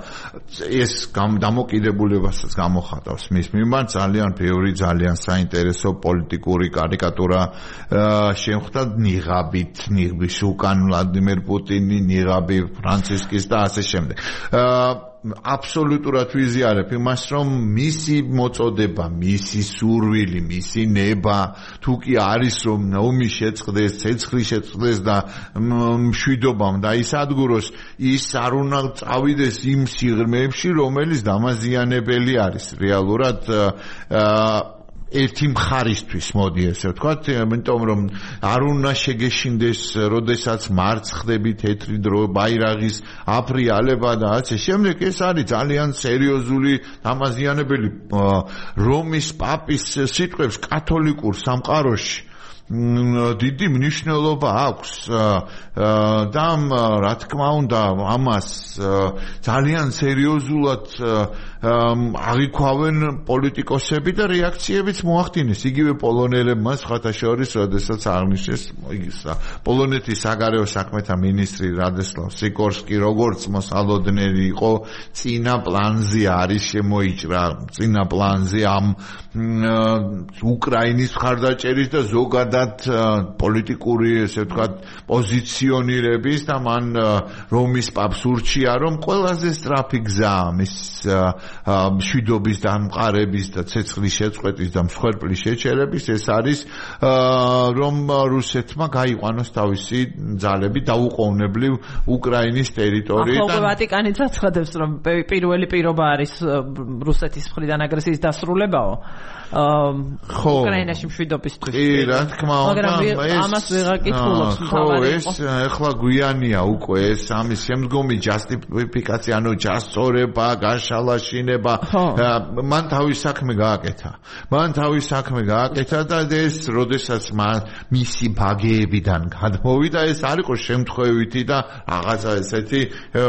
ეს დამოკიდებულებასაც გამოხატავს მის მიმართ ძალიან ბევრი ძალიან საინტერესო პოლიტიკური კარიკატურა შემხვდა ნიღაბის უკან ვლადიმერ პუტინი ნიღაბი ფრანცისკის და ასე შემდეგ აბსოლუტურად ვიზიარებ იმას, რომ მისი მოწოდება, მისი სურვილი, მისი ნება, თუ კი არის რომ ომი შეწყდეს, ცეცხლი შეწყდეს და მშვიდობამ დაისადგუროს, ის არ უნდა წავიდეს იმ სიღრმეებში, რომელიც დამაზიანებელი არის. რეალურად ერთი მხარისთვის მოდი ესე ვთქვათ, იმიტომ რომ არ უნდა შეგეშინდეს, როდესაც მარცხდები თეთრი დრო ბაირაღის აფრიალება და ასე შემდეგ, ეს არის ძალიან სერიოზული დამაზიანებელი რომის პაპის სიტყვებს კათოლიკურ სამყაროში დიდი მნიშვნელობა აქვს და რა თქმა უნდა ამას ძალიან სერიოზულად აღიქვავენ პოლიტიკოსები და რეაქციებიც მოახდინეს იგივე პოლონელებმა სხვათა შორის როდესაც აღნიშნეს პოლონეთის საგარეო საქმეთა მინისტრი რადესლავ სიკორსკი როგორც მოსალოდნელი იყო წინა პლანზე არის შემოიჭრა წინა პლანზე ამ უკრაინის მხარდაჭერის და ზოგადად პოლიტიკური ესე ვთქვათ პოზიციონირების და მან რომის პაპს ურჩია რომ ყველაზე სწრაფი გზა მის მშვიდობის დამყარების და ცეცხლის შეწყვეტის და მსხვერპლის შეჩერების ეს არის რომ რუსეთმა გაიყვანოს თავისი ძალები დაუყოვნებლივ უკრაინის ტერიტორიიდან. ახლა ვატიკანიც აცხადებს რომ პირველი პირობა არის რუსეთის მხრიდან აგრესიის დასრულებაო. უკრაინაში მშვიდობისთვის. კი, რა თქმა უნდა, ამას ვეღარ კითხულობს თავარი. ეს ახლა გვიანია უკვე ეს ამის შემდგომი ჯასტიფიკაცია, ანუ ჯასწორება, გაშალაშინება. მან თავის საქმე გააკეთა და ეს როდესაც მისი ბაგეებიდან გადმოვიდა, ეს არ იყო შემთხვევითი და რაღაცა ესეთი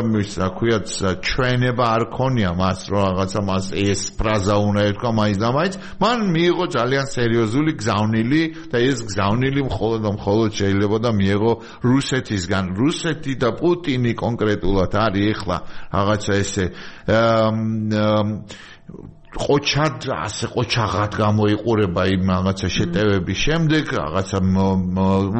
მის რა ქვიათ ჩვენება არ ქონია მას, რომ რაღაცა მას ეს ფრაზა უნდა ეთქვა მაინც და მაინც. მან მიიღო ძალიან სერიოზული გზავნილი და ეს გზავნილი მხოლოდ შეიძლება და მიიღო რუსეთისგან. რუსეთი და პუტინი კონკრეტულად არის ახლა რაღაცა ესე ყოჩაღად გამოიყურება იმ რაღაცა შეტევების შემდეგ, რაღაცა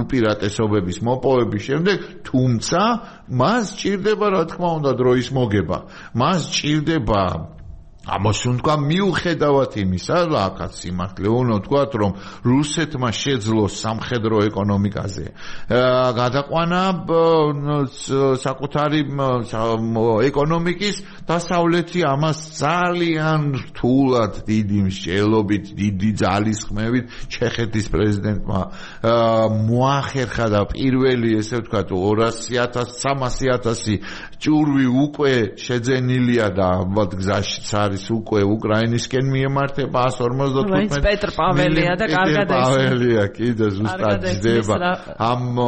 უპირატესობების მოპოვების შემდეგ, თუმცა მას ჭირდება რა თქმა უნდა დროის მოგება. მას ჭირდება ამას უნდა მიუხედავად იმისა, აქაც სიმართლე უნდა ვთქვათ, რომ რუსეთმა შეძლოს სამხედრო ეკონომიკაზე გადაყვანა საკუთარი ეკონომიკის დასავლეთი ამას ძალიან რთულად დიდი მსჯელობით, დიდი ძალისხმევით ჩეხეთის პრეზიდენტმა მოახერხა და პირველი ესე ვთქვათ 200,000-300,000 ჭურვი უკვე შეძენილია და ალბათ გზაშიც არის უკვე უკრაინისკენ მიემართება 155 პეტრ პაველია და კარგად ეს პაველია კიდე ზუსტად ჯდება ამ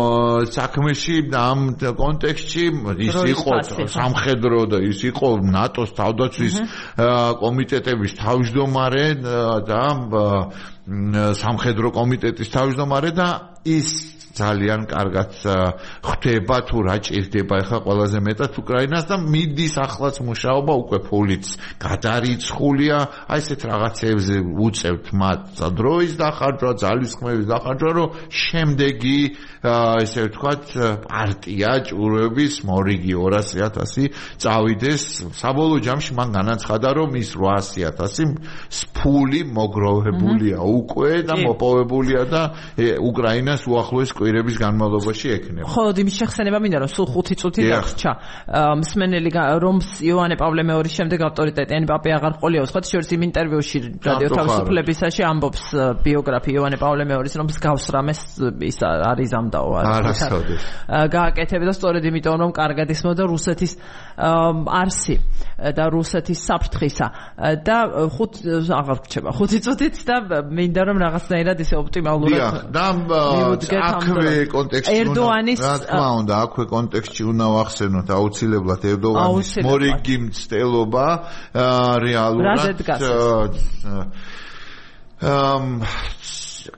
საქმეში ამ კონტექსტში ის იყო სამხედრო და ის იყო ნატოს თავდაცვის კომიტეტების თავმჯდომარე და სამხედრო კომიტეტის თავმჯდომარე და ის ძალიან კარგად ხვდება თუ რა ჭირდება ახლა ყველაზე მეტად უკრაინას და მიდის ახლაც მუშაობა უკვე ფულიც გადარიცხულია აი ესეთ რაღაცებზე უწევთ მათ დროის დახარჯვა ძალისხმევის დახარჯვა რომ შემდეგი ესე ვთქვათ პარტია ჭურვების მორიგი 200,000 წავიდეს საბოლოო ჯამში მან განაცხადა რომ ის 800,000 ფული მოგროვებულია უკვე და მოპოვებულია და უკრაინას უახლოეს კვირების განმავლობაში ექნება. ხო, იმის შეხსენება მინდა რომ სულ 5 წუთი დაგრჩა. მსმენელი რომ იოანე პავლე მეორის შემდეგ ავტორიტეტიანი პაპი აღარ ყოლიაოს, ხო, შორის იმ ინტერვიუში რადიო თავისუფლებისაში ამბობს ბიოგრაფი იოანე პავლე მეორის რომ მსგავს რამეს ის არის ამდაო არის. გააკეთებდა სწორედ იმიტომ რომ კარგად ისმოდა რუსეთის არსი და რუსეთის საფრთხისა და 5 აღარ გრჩება 5 წუთით და მინდა რომ რაღაცნაირად ისე ოპტიმალურად და აქვე კონტექსტში ერდოანის რა თქმა უნდა აქვე კონტექსტში უნდა ვახსენოთ აუცილებლად ერდოანის მორიგი მცდელობა რეალურად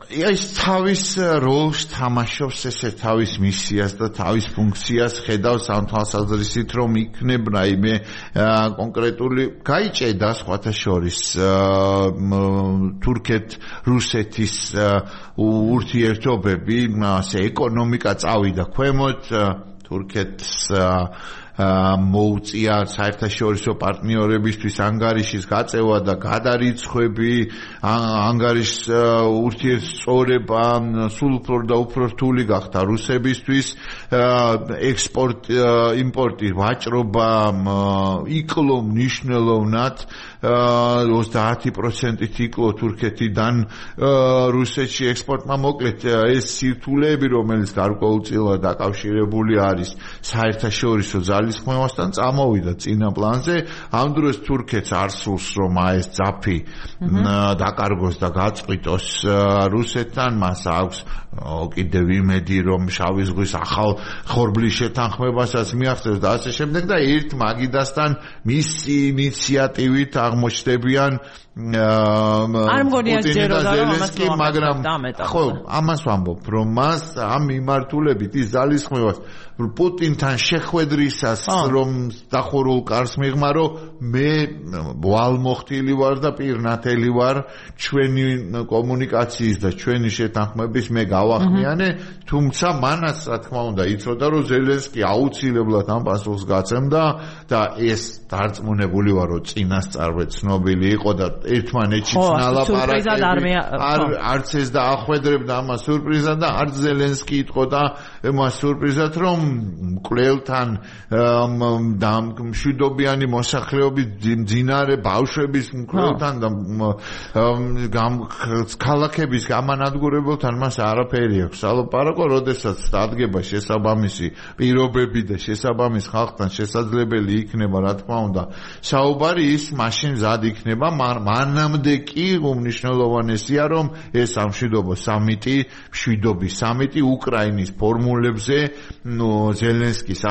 ის თავის როლს თამაშობს ესე თავის მისიას და თავის ფუნქციას ხედავს ამ თვალსაზრისით რომ იქნებ რაიმე კონკრეტული გაიჭედა სხვათა შორის თურქეთ-რუსეთის ურთიერთობები ასე ეკონომიკა წავიდა ქვემოთ თურქეთს მოუწია საერთაშორისო პარტნიორებისთვის ანგარიშის გაწევა და გადარიცხვები ანგარიშის ურთიერთწორება სულ უფრო და უფრო რთული გახდა რუსებისთვის ექსპორტ იმპორტი ვაჭრობა იკლო მნიშვნელოვნად 30%-ით იკლო თურქეთიდან რუსეთში ექსპორტმა მოკლედ ეს სირთულეები რომელიც გარკვეულწილად დაკავშირებული არის საერთაშორისო ძალისხმევასთან წამოვიდა წინა პლანზე ამ დროს თურქეთს არ სურს რომ ეს ძაფი დაკარგოს და გაწყვიტოს რუსეთთან მას აქვს კიდევ იმედი რომ შავი ზღვის ახალ ხორბლის შეთანხმებასაც მიაღწევს და ასე შემდეგ და ერთ მაგიდასთან მისი ინიციატივით აღმოჩნდებიან არ მგონია ჯეროდა რომ ამას მაგრამ ხო ამას ვამბობ რომ მას ამ მიმართულებით ის ძალისხმევას პუტინთან შეხვედრისას რომ დახურულ კარს მიღმარო მე ვალმოხტილი ვარ და პირნათელი ვარ ჩვენი კომუნიკაციის და ჩვენი შეთანხმების მე გავახმიანე თუმცა მანაც რა თქმა უნდა იცოდა რომ ზელენსკი აუცილებლად ამ პასუხს გაცემდა და ეს დარწმუნებული ვარ რომ წინასწარვე ცნობილი იყო და ერთმანეთში ნალაპარაკები არც ეს დაახვედრებდა ამას სურპრიზად და არც ზელენსკი იტყოდა ამას სურპრიზად რომ მკვლელთან და მშვიდობიანი მოსახლეობის მძინარე ბავშვების მკვლელთან და ქალაქების გამანადგურებელთან მას არაფერი აქვს სალაპარაკო როდესაც დადგება შესაბამისი პირობები და შესაბამის ხალხთან შესაძლებელი იქნება რა თქმა უნდა საუბარი ის მაშინ მზად იქნება მანამდე კი უმნიშვნელოვანესია რომ ეს სამშვიდობო სამიტი მშვიდობის სამიტი უკრაინის ფორმულებზე ზელენსკის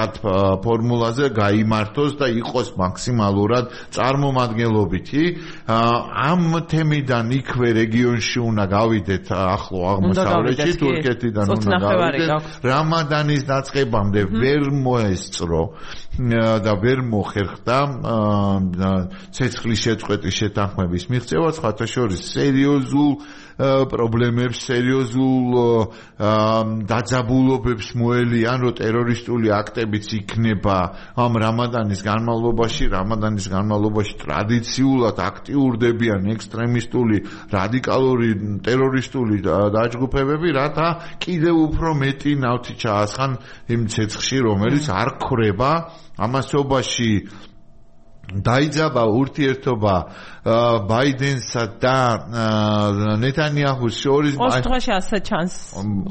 ფორმულაზე გაიმართოს და იყოს მაქსიმალურად წარმომადგენლობითი ამ თემიდან იქვე რეგიონში უნდა გავიდეთ ახლო აღმოსავლეთში თურქეთიდან უნდა გავიდეთ რამადანის დაწყებამდე ვერ მოესწრო და ვერ მოხერხდა ცეცხლის შეწყვეტის შეთანხმების მიღწევა სხვათა შორის სერიოზულ პრობლემებს სერიოზულ დაძაბულობებს მოელიან რომ ტერორისტული აქტებიც იქნება ამ რამადანის განმავლობაში ტრადიციულად აქტიურდებიან ექსტრემისტული რადიკალური ტერორისტული დაჯგუფებები რათა კიდევ უფრო მეტი ნავთი ჩაასხან იმ ცეცხლში რომელიც არ ქრება ამასობაში დაიძაბა ურთიერთობა ბაიდენსა და ნეტანიაჰუს შორის ოთხში ასე ჩანს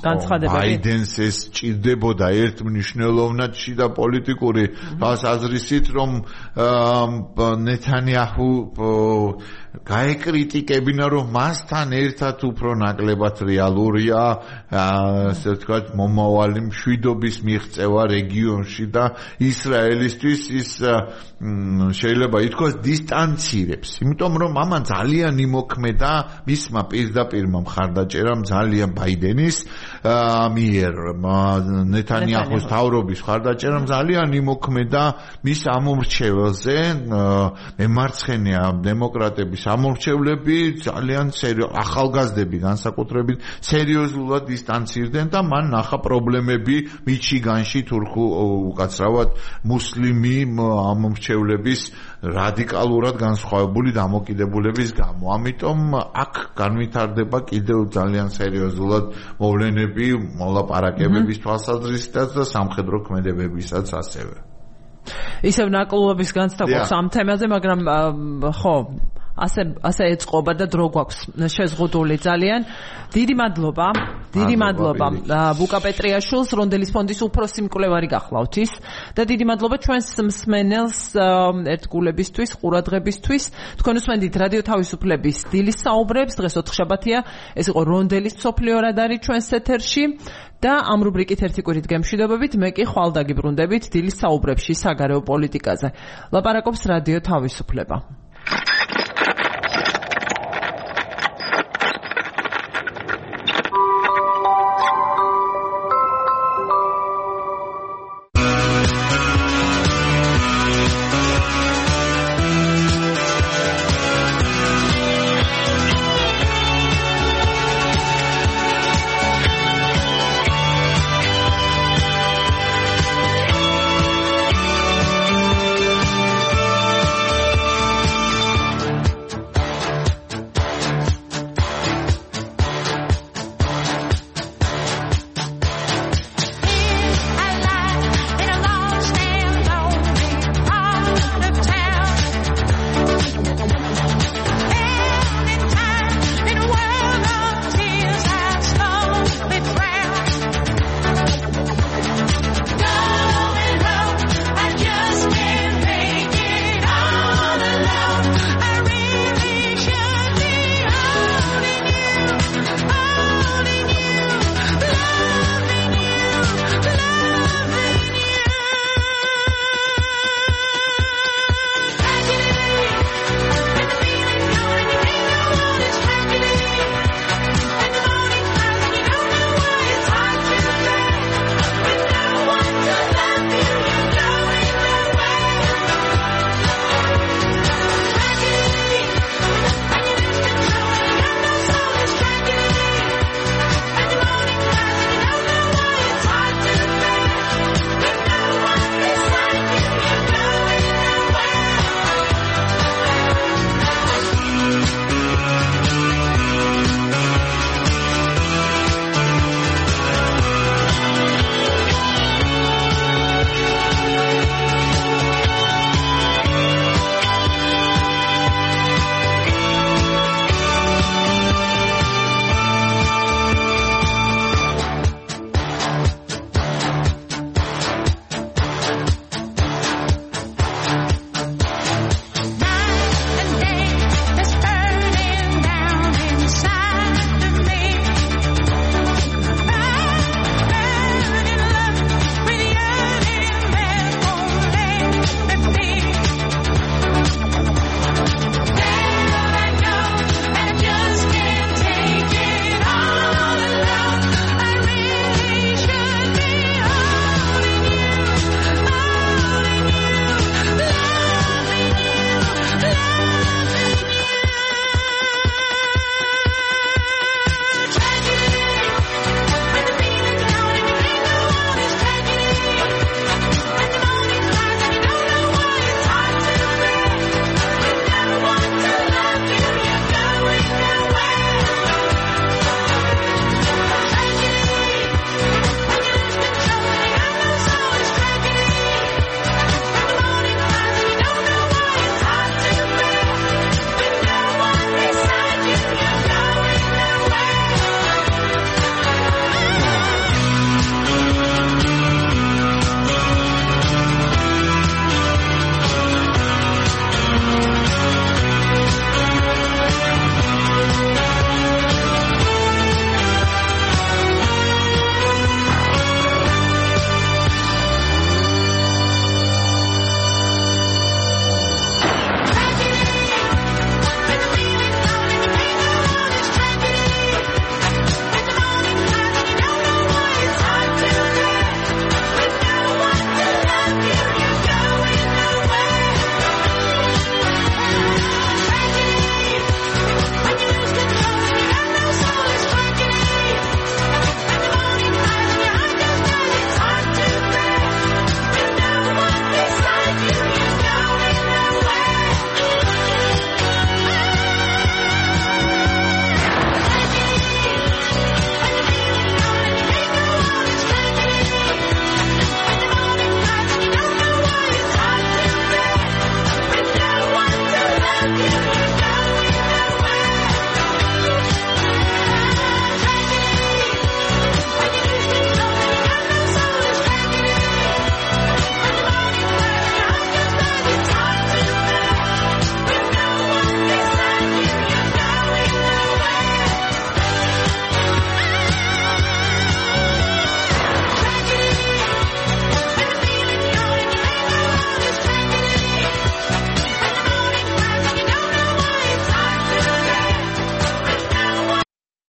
განცხადებები ბაიდენს ეს ჭირდებოდა ერთ მნიშვნელოვნად შიდა პოლიტიკური აზრისით რომ ნეტანიაჰუ გაეკრიტიკებინა რომ მასთან ერთად უფრო ნაკლებად რეალურია ასე ვთქვათ მომავალი მშვიდობის მიღწევა რეგიონში და ისრაელისთვის ის შეიძლება ითქვას დისტანცირებს იმიტომ რომ ამან ძალიან იმოქმედა მისმა პირდაპირმა მხარდაჭერამ ძალიან ბაიდენის მიერ ნეთანიაჰუს თავრობის მხარდაჭერამ ძალიან იმოქმედა მის ამორჩეველზე მემარცხენე დემოკრატების ამორჩევლები ძალიან ახალგაზრდები განსაკუთრებით სერიოზულად დისტანცირდნენ და მან ნახა პრობლემები მიჩიგანში თურქულ უკაცრავად მუსლიმი ამორჩევლების რადიკალურად განსხვავებული დამოკიდებულების გამო. ამიტომ აქ განვითარდება კიდევ ძალიან სერიოზულად მოვლენები მოლაპარაკებების თვალსაზრისითაც და სამხედრო ქმედებებისაც ასევე. ისევ ნაკლუობის განცდა გვაქვს ამ თემაზე, მაგრამ ხო ასე ეწყობა და დრო გვაქვს შეზღუდული ძალიან. დიდი მადლობა ბუკა პეტრიაშვილს, რონდელის ფონდის უფროსი მკვლევარი გახლავთ ის და დიდი მადლობა ჩვენს მსმენელს ერთგულებისთვის, ყურადღებისთვის. თქვენ უსმენთ რადიო თავისუფლების დილის საუბრებს, დღეს ოთხშაბათია, ეს იყო რონდელის მსოფლიო რადარი ჩვენს ეთერში და ამ რუბრიკით ერთი კვირით გემშვიდობებით, მე კი ხვალ დაგიბრუნდებით დილის საუბრებში საგარეო პოლიტიკაზე. ლაპარაკობს რადიო თავისუფლება.